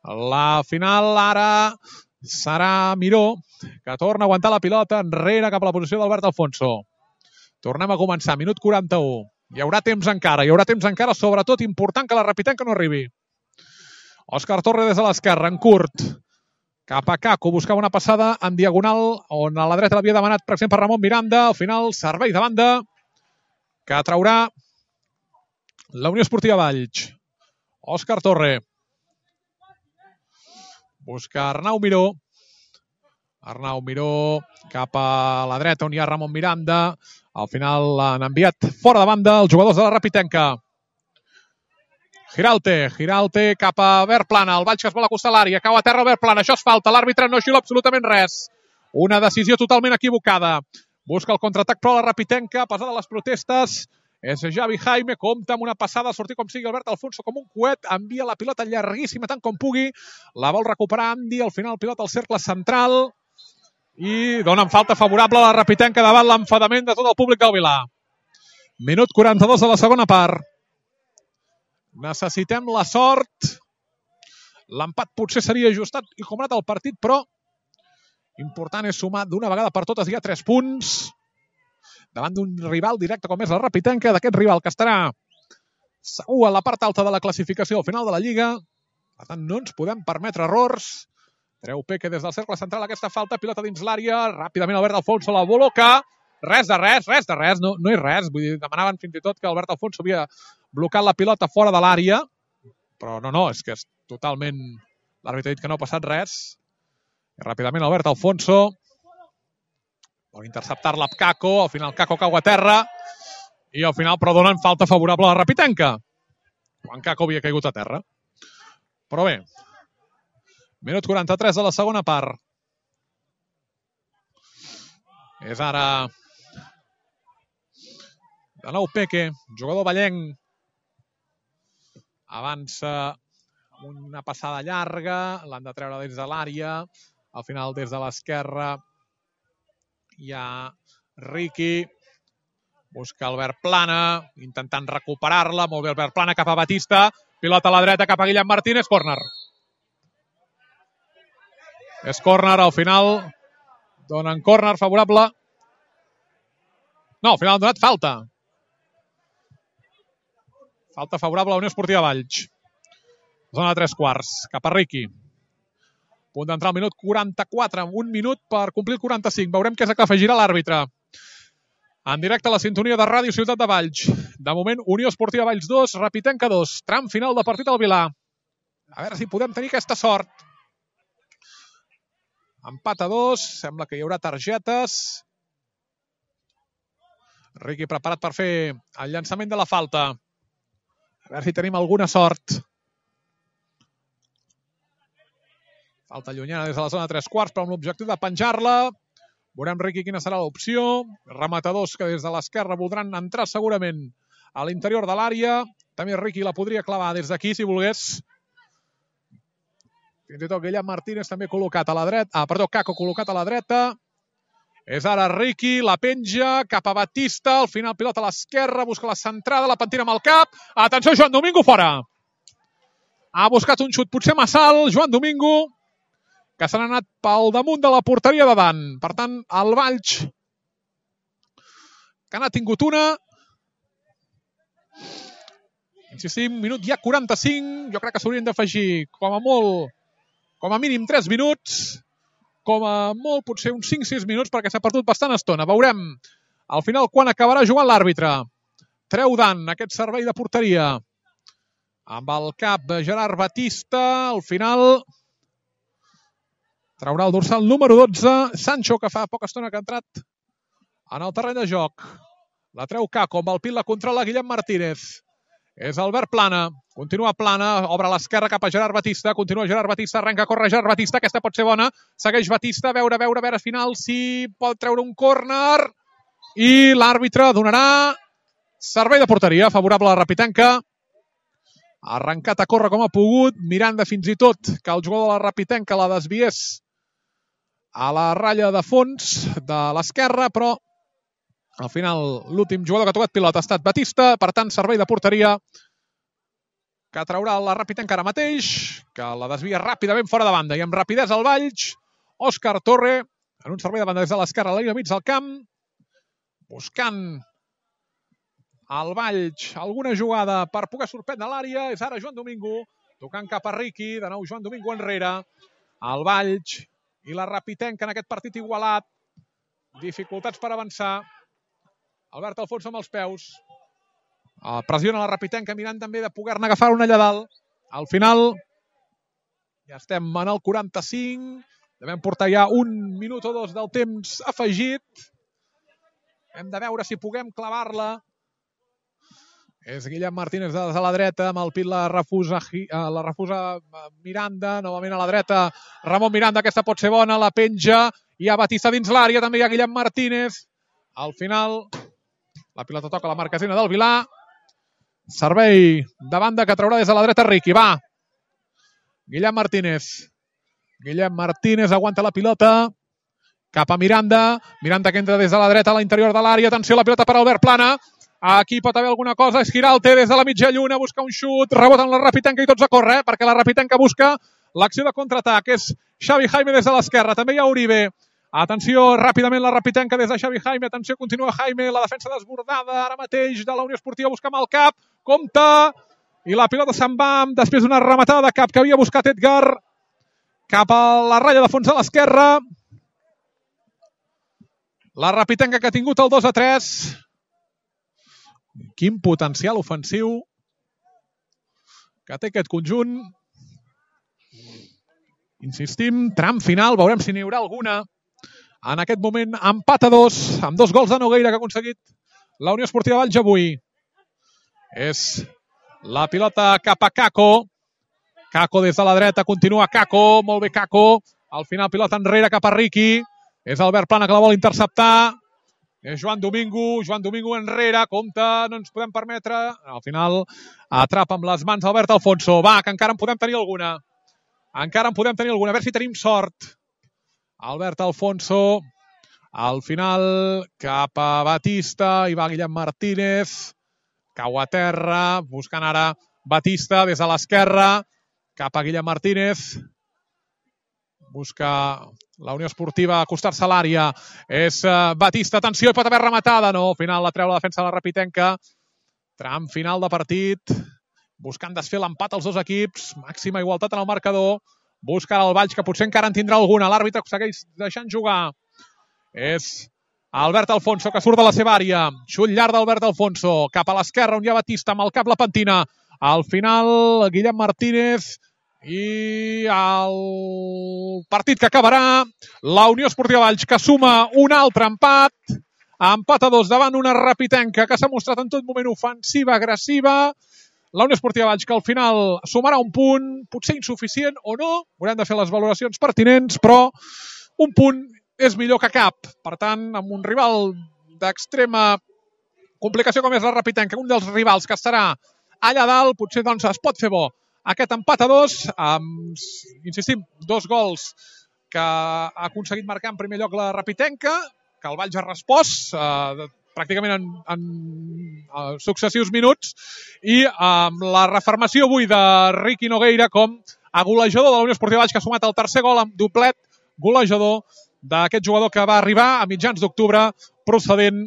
La final ara serà Miró, que torna a aguantar la pilota enrere cap a la posició d'Albert Alfonso. Tornem a començar, minut 41. Hi haurà temps encara, sobretot important que la Rapitenca no arribi. Òscar Torre des de l'esquerra, en curt. Cap a Caco, buscava una passada en diagonal, on a la dreta l'havia demanat, per exemple, Ramon Miranda. Al final, servei de banda, que traurà la Unió Esportiva Valls. Òscar Torre. Busca Arnau Miró. Arnau Miró cap a la dreta, on hi ha Ramon Miranda. Al final l'han enviat fora de banda els jugadors de la Rapitenca. Giralte cap a Albert Plana. El Valls que es vol acostar a l'àrea. Cau a terra Albert Plana. Això és falta. L'àrbitre no xula absolutament res. Una decisió totalment equivocada. Busca el contraatac, però la Rapitenca, a pesar de les protestes, és Javi Jaime. Compta amb una passada, sortir com sigui Albert Alfonso com un coet. Envia la pilota llarguíssima tant com pugui. La vol recuperar Andy. Al final pilota al cercle central. I donen falta favorable a la Rapitenca davant l'enfadament de tot el públic del Vilà. Minut 42 de la segona part. Necessitem la sort. L'empat potser seria ajustat i comanat el partit, però important és sumar d'una vegada per totes. Hi ha 3 punts davant d'un rival directe com és la Rapitenca, d'aquest rival que estarà segur a la part alta de la classificació al final de la Lliga. Per tant, no ens podem permetre errors. Treu Peque des del cercle central aquesta falta, pilota dins l'àrea, ràpidament Albert Alfonso la col·loca. Res de res, no és res. Vull dir, demanaven fins i tot que Albert Alfonso havia blocat la pilota fora de l'àrea, però no, és que és totalment... L'àrbitre ha dit que no ha passat res. I ràpidament Albert Alfonso vol interceptar-la amb Caco, al final Caco cau a terra i al final però donen falta favorable a la Rapitenca, quan Caco havia caigut a terra. Però bé, minut 43 de la segona part. És ara de nou Peque, jugador vallenc. Avança amb una passada llarga, l'han de treure des de l'àrea. Al final, des de l'esquerra, hi ha Riqui. Busca Albert Plana, intentant recuperar-la. Molt bé Albert Plana cap a Batista. Pilota a la dreta cap a Guillem Martínez. Córner. És córner, al final donen córner favorable. No, al final han donat falta. Falta favorable a la Unió Esportiva Valls. Zona de 3/4, cap a Riqui. Punt d'entrar al minut 44, un minut per complir el 45. Veurem què és el que afegirà l'àrbitre. En directe a la sintonia de Ràdio Ciutat de Valls. De moment, Unió Esportiva Valls 2, Rapitenca 2. Tram final de partit al Vilà. A veure si podem tenir aquesta sort. Empat a 2, sembla que hi haurà targetes. Riqui preparat per fer el llançament de la falta. A veure si tenim alguna sort. Falta llunyana des de la zona de 3/4, però amb l'objectiu de penjar-la. Veurem, Riqui, quina serà l'opció. Rematadors que des de l'esquerra voldran entrar segurament a l'interior de l'àrea. També Riqui la podria clavar des d'aquí, si volgués. Fins i tot Guillem Martínez també col·locat a la dreta. Caco col·locat a la dreta. És ara Riqui, la penja, cap a Batista, al final pilota a l'esquerra, busca la centrada, la pentina amb el cap. Atenció, Joan Domingo fora. Ha buscat un xut potser massa alt, Joan Domingo, que se n'ha anat pel damunt de la porteria de Dan. Per tant, el Valls, que n'ha tingut una. Insistim, minut ja 45. Jo crec que s'haurien d'afegir com a molt, com a mínim 3 minuts. Com a molt, potser uns 5-6 minuts, perquè s'ha perdut bastant estona. Veurem al final quan acabarà jugant l'àrbitre. Treu Dan aquest servei de porteria. Amb el cap de Gerard Batista, al final traurà el dorsal número 12. Sancho, que fa poca estona que ha entrat en el terreny de joc. La treu Caco, amb el pit la controla Guillem Martínez. És Albert Plana, continua Plana, obre a l'esquerra cap a Gerard Batista, continua Gerard Batista, arrenca a córrer Gerard Batista, aquesta pot ser bona, segueix Batista, a veure al final si pot treure un córner, i l'àrbitre donarà servei de porteria, favorable a la Rapitenca. Ha arrencat a córrer com ha pogut, mirant de fins i tot que el jugador de la Rapitenca la desviés a la ratlla de fons de l'esquerra, però al final, l'últim jugador que ha tocat pilota ha estat Batista, per tant, servei de porteria que traurà la Rapitenca ara mateix, que la desvia ràpidament fora de banda. I amb rapidesa al Valls, Òscar Torre, en un servei de banda des de l'esquerra, a la línia mig del camp, buscant al Valls alguna jugada per poder sorprendre l'àrea. És ara Joan Domingo, tocant cap a Riqui, de nou Joan Domingo enrere. El Valls i la Rapitenca en aquest partit igualat. Dificultats per avançar. Albert Alfonso amb els peus. Pressiona la Rapitenca, mirant també de poder-ne agafar una allà dalt. Al final, ja estem en el 45. Devem portar ja 1 minut o 2 del temps afegit. Hem de veure si puguem clavar-la. És Guillem Martínez des de la dreta, amb el pit la refusa Miranda, novament a la dreta. Ramon Miranda, aquesta pot ser bona, la penja. Hi ha Batista dins l'àrea, també hi ha Guillem Martínez. Al final, la pilota toca la marquesina del Vilà. Servei de banda que traurà des de la dreta Riqui. Va. Guillem Martínez. Guillem Martínez aguanta la pilota. Cap a Miranda. Miranda que entra des de la dreta a l'interior de l'àrea. Atenció, la pilota per Albert Plana. Aquí pot haver alguna cosa. Esquiralte des de la mitja lluna. Busca un xut. Rebota en la Rapitenca i tots a córrer, perquè la Rapitenca busca l'acció de contraatac. És Xavi Jaime des de l'esquerra. També hi ha Uribe. Atenció, ràpidament la Rapitenca des de Xavi Jaime. Atenció, continua Jaime. La defensa desbordada ara mateix de la Unió Esportiva. Busca amb el cap. Compte. I la pilota se'n va després d'una rematada de cap que havia buscat Edgar. Cap a la ratlla de fons de l'esquerra. La Rapitenca que ha tingut el 2-3. Quin potencial ofensiu que té aquest conjunt. Insistim, tram final. Veurem si n'hi haurà alguna. En aquest moment, empat a 2, amb 2 gols de Nogueira que ha aconseguit la Unió Esportiva Valls avui. És la pilota cap a Caco. Caco des de la dreta, continua Caco, molt bé Caco. Al final pilota enrere cap a Riqui. És Albert Plana que la vol interceptar. És Joan Domingo enrere, compte, no ens podem permetre. Al final atrapa amb les mans Albert Alfonso. Va, que encara en podem tenir alguna. A veure si tenim sort. Albert Alfonso, al final cap a Batista, hi va Guillem Martínez, cau a terra, buscant ara Batista des de l'esquerra, cap a Guillem Martínez, busca la Unió Esportiva acostar-se a l'àrea, és Batista, atenció, pot haver rematada, no, al final la treu la defensa de la Rapitenca, tram final de partit, buscant desfer l'empat als dos equips, màxima igualtat en el marcador, busca el Valls, que potser encara en tindrà alguna. L'àrbitre segueix deixant jugar. És Albert Alfonso, que surt de la seva àrea. Xut llarg d'Albert Alfonso. Cap a l'esquerra, on hi ha Batista, amb el cap la pentina. Al final, Guillem Martínez. I el partit que acabarà. La Unió Esportiva Valls, que suma un altre empat. Empat a 2 davant una Rapitenca, que s'ha mostrat en tot moment ofensiva, agressiva. La Unió Esportiva Valls, que al final sumarà un punt, potser insuficient o no, haurem de fer les valoracions pertinents, però un punt és millor que cap. Per tant, amb un rival d'extrema complicació com és la Rapitenca, un dels rivals que estarà allà dalt, potser doncs, es pot fer bo aquest empat a 2, insistim, 2 gols que ha aconseguit marcar en primer lloc la Rapitenca, que el Valls ha respost pràcticament en successius minuts, i amb la reafirmació avui de Riqui Nogueira com a golejador de la Unió Esportiva Valls, que ha sumat el tercer gol amb doblet golejador d'aquest jugador que va arribar a mitjans d'octubre procedent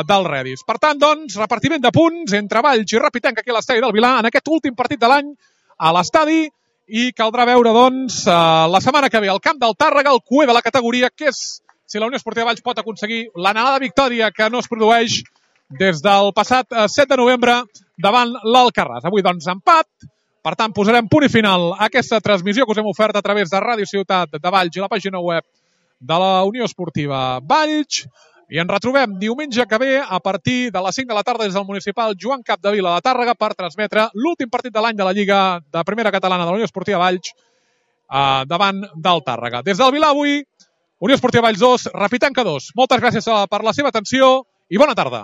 del Redis. Per tant, doncs, repartiment de punts entre Valls i Rapitenca aquí a l'estadi del Vilar en aquest últim partit de l'any a l'estadi, i caldrà veure, doncs, la setmana que ve al camp del Tàrrega, el cuer de la categoria, que és si la Unió Esportiva Valls pot aconseguir l'anhelada victòria que no es produeix des del passat 7 de novembre davant l'Alcarràs. Avui, doncs, empat. Per tant, posarem punt i final a aquesta transmissió que us hem ofert a través de Ràdio Ciutat de Valls i la pàgina web de la Unió Esportiva Valls. I ens retrobem diumenge que ve a partir de les 5 de la tarda des del municipal Joan Capdevila de Tàrrega per transmetre l'últim partit de l'any de la Lliga de Primera Catalana de la Unió Esportiva Valls davant del Tàrrega. Des del Vilar avui, Unió Esportiva Valls 2, Rapitenca 2. Moltes gràcies per la seva atenció i bona tarda.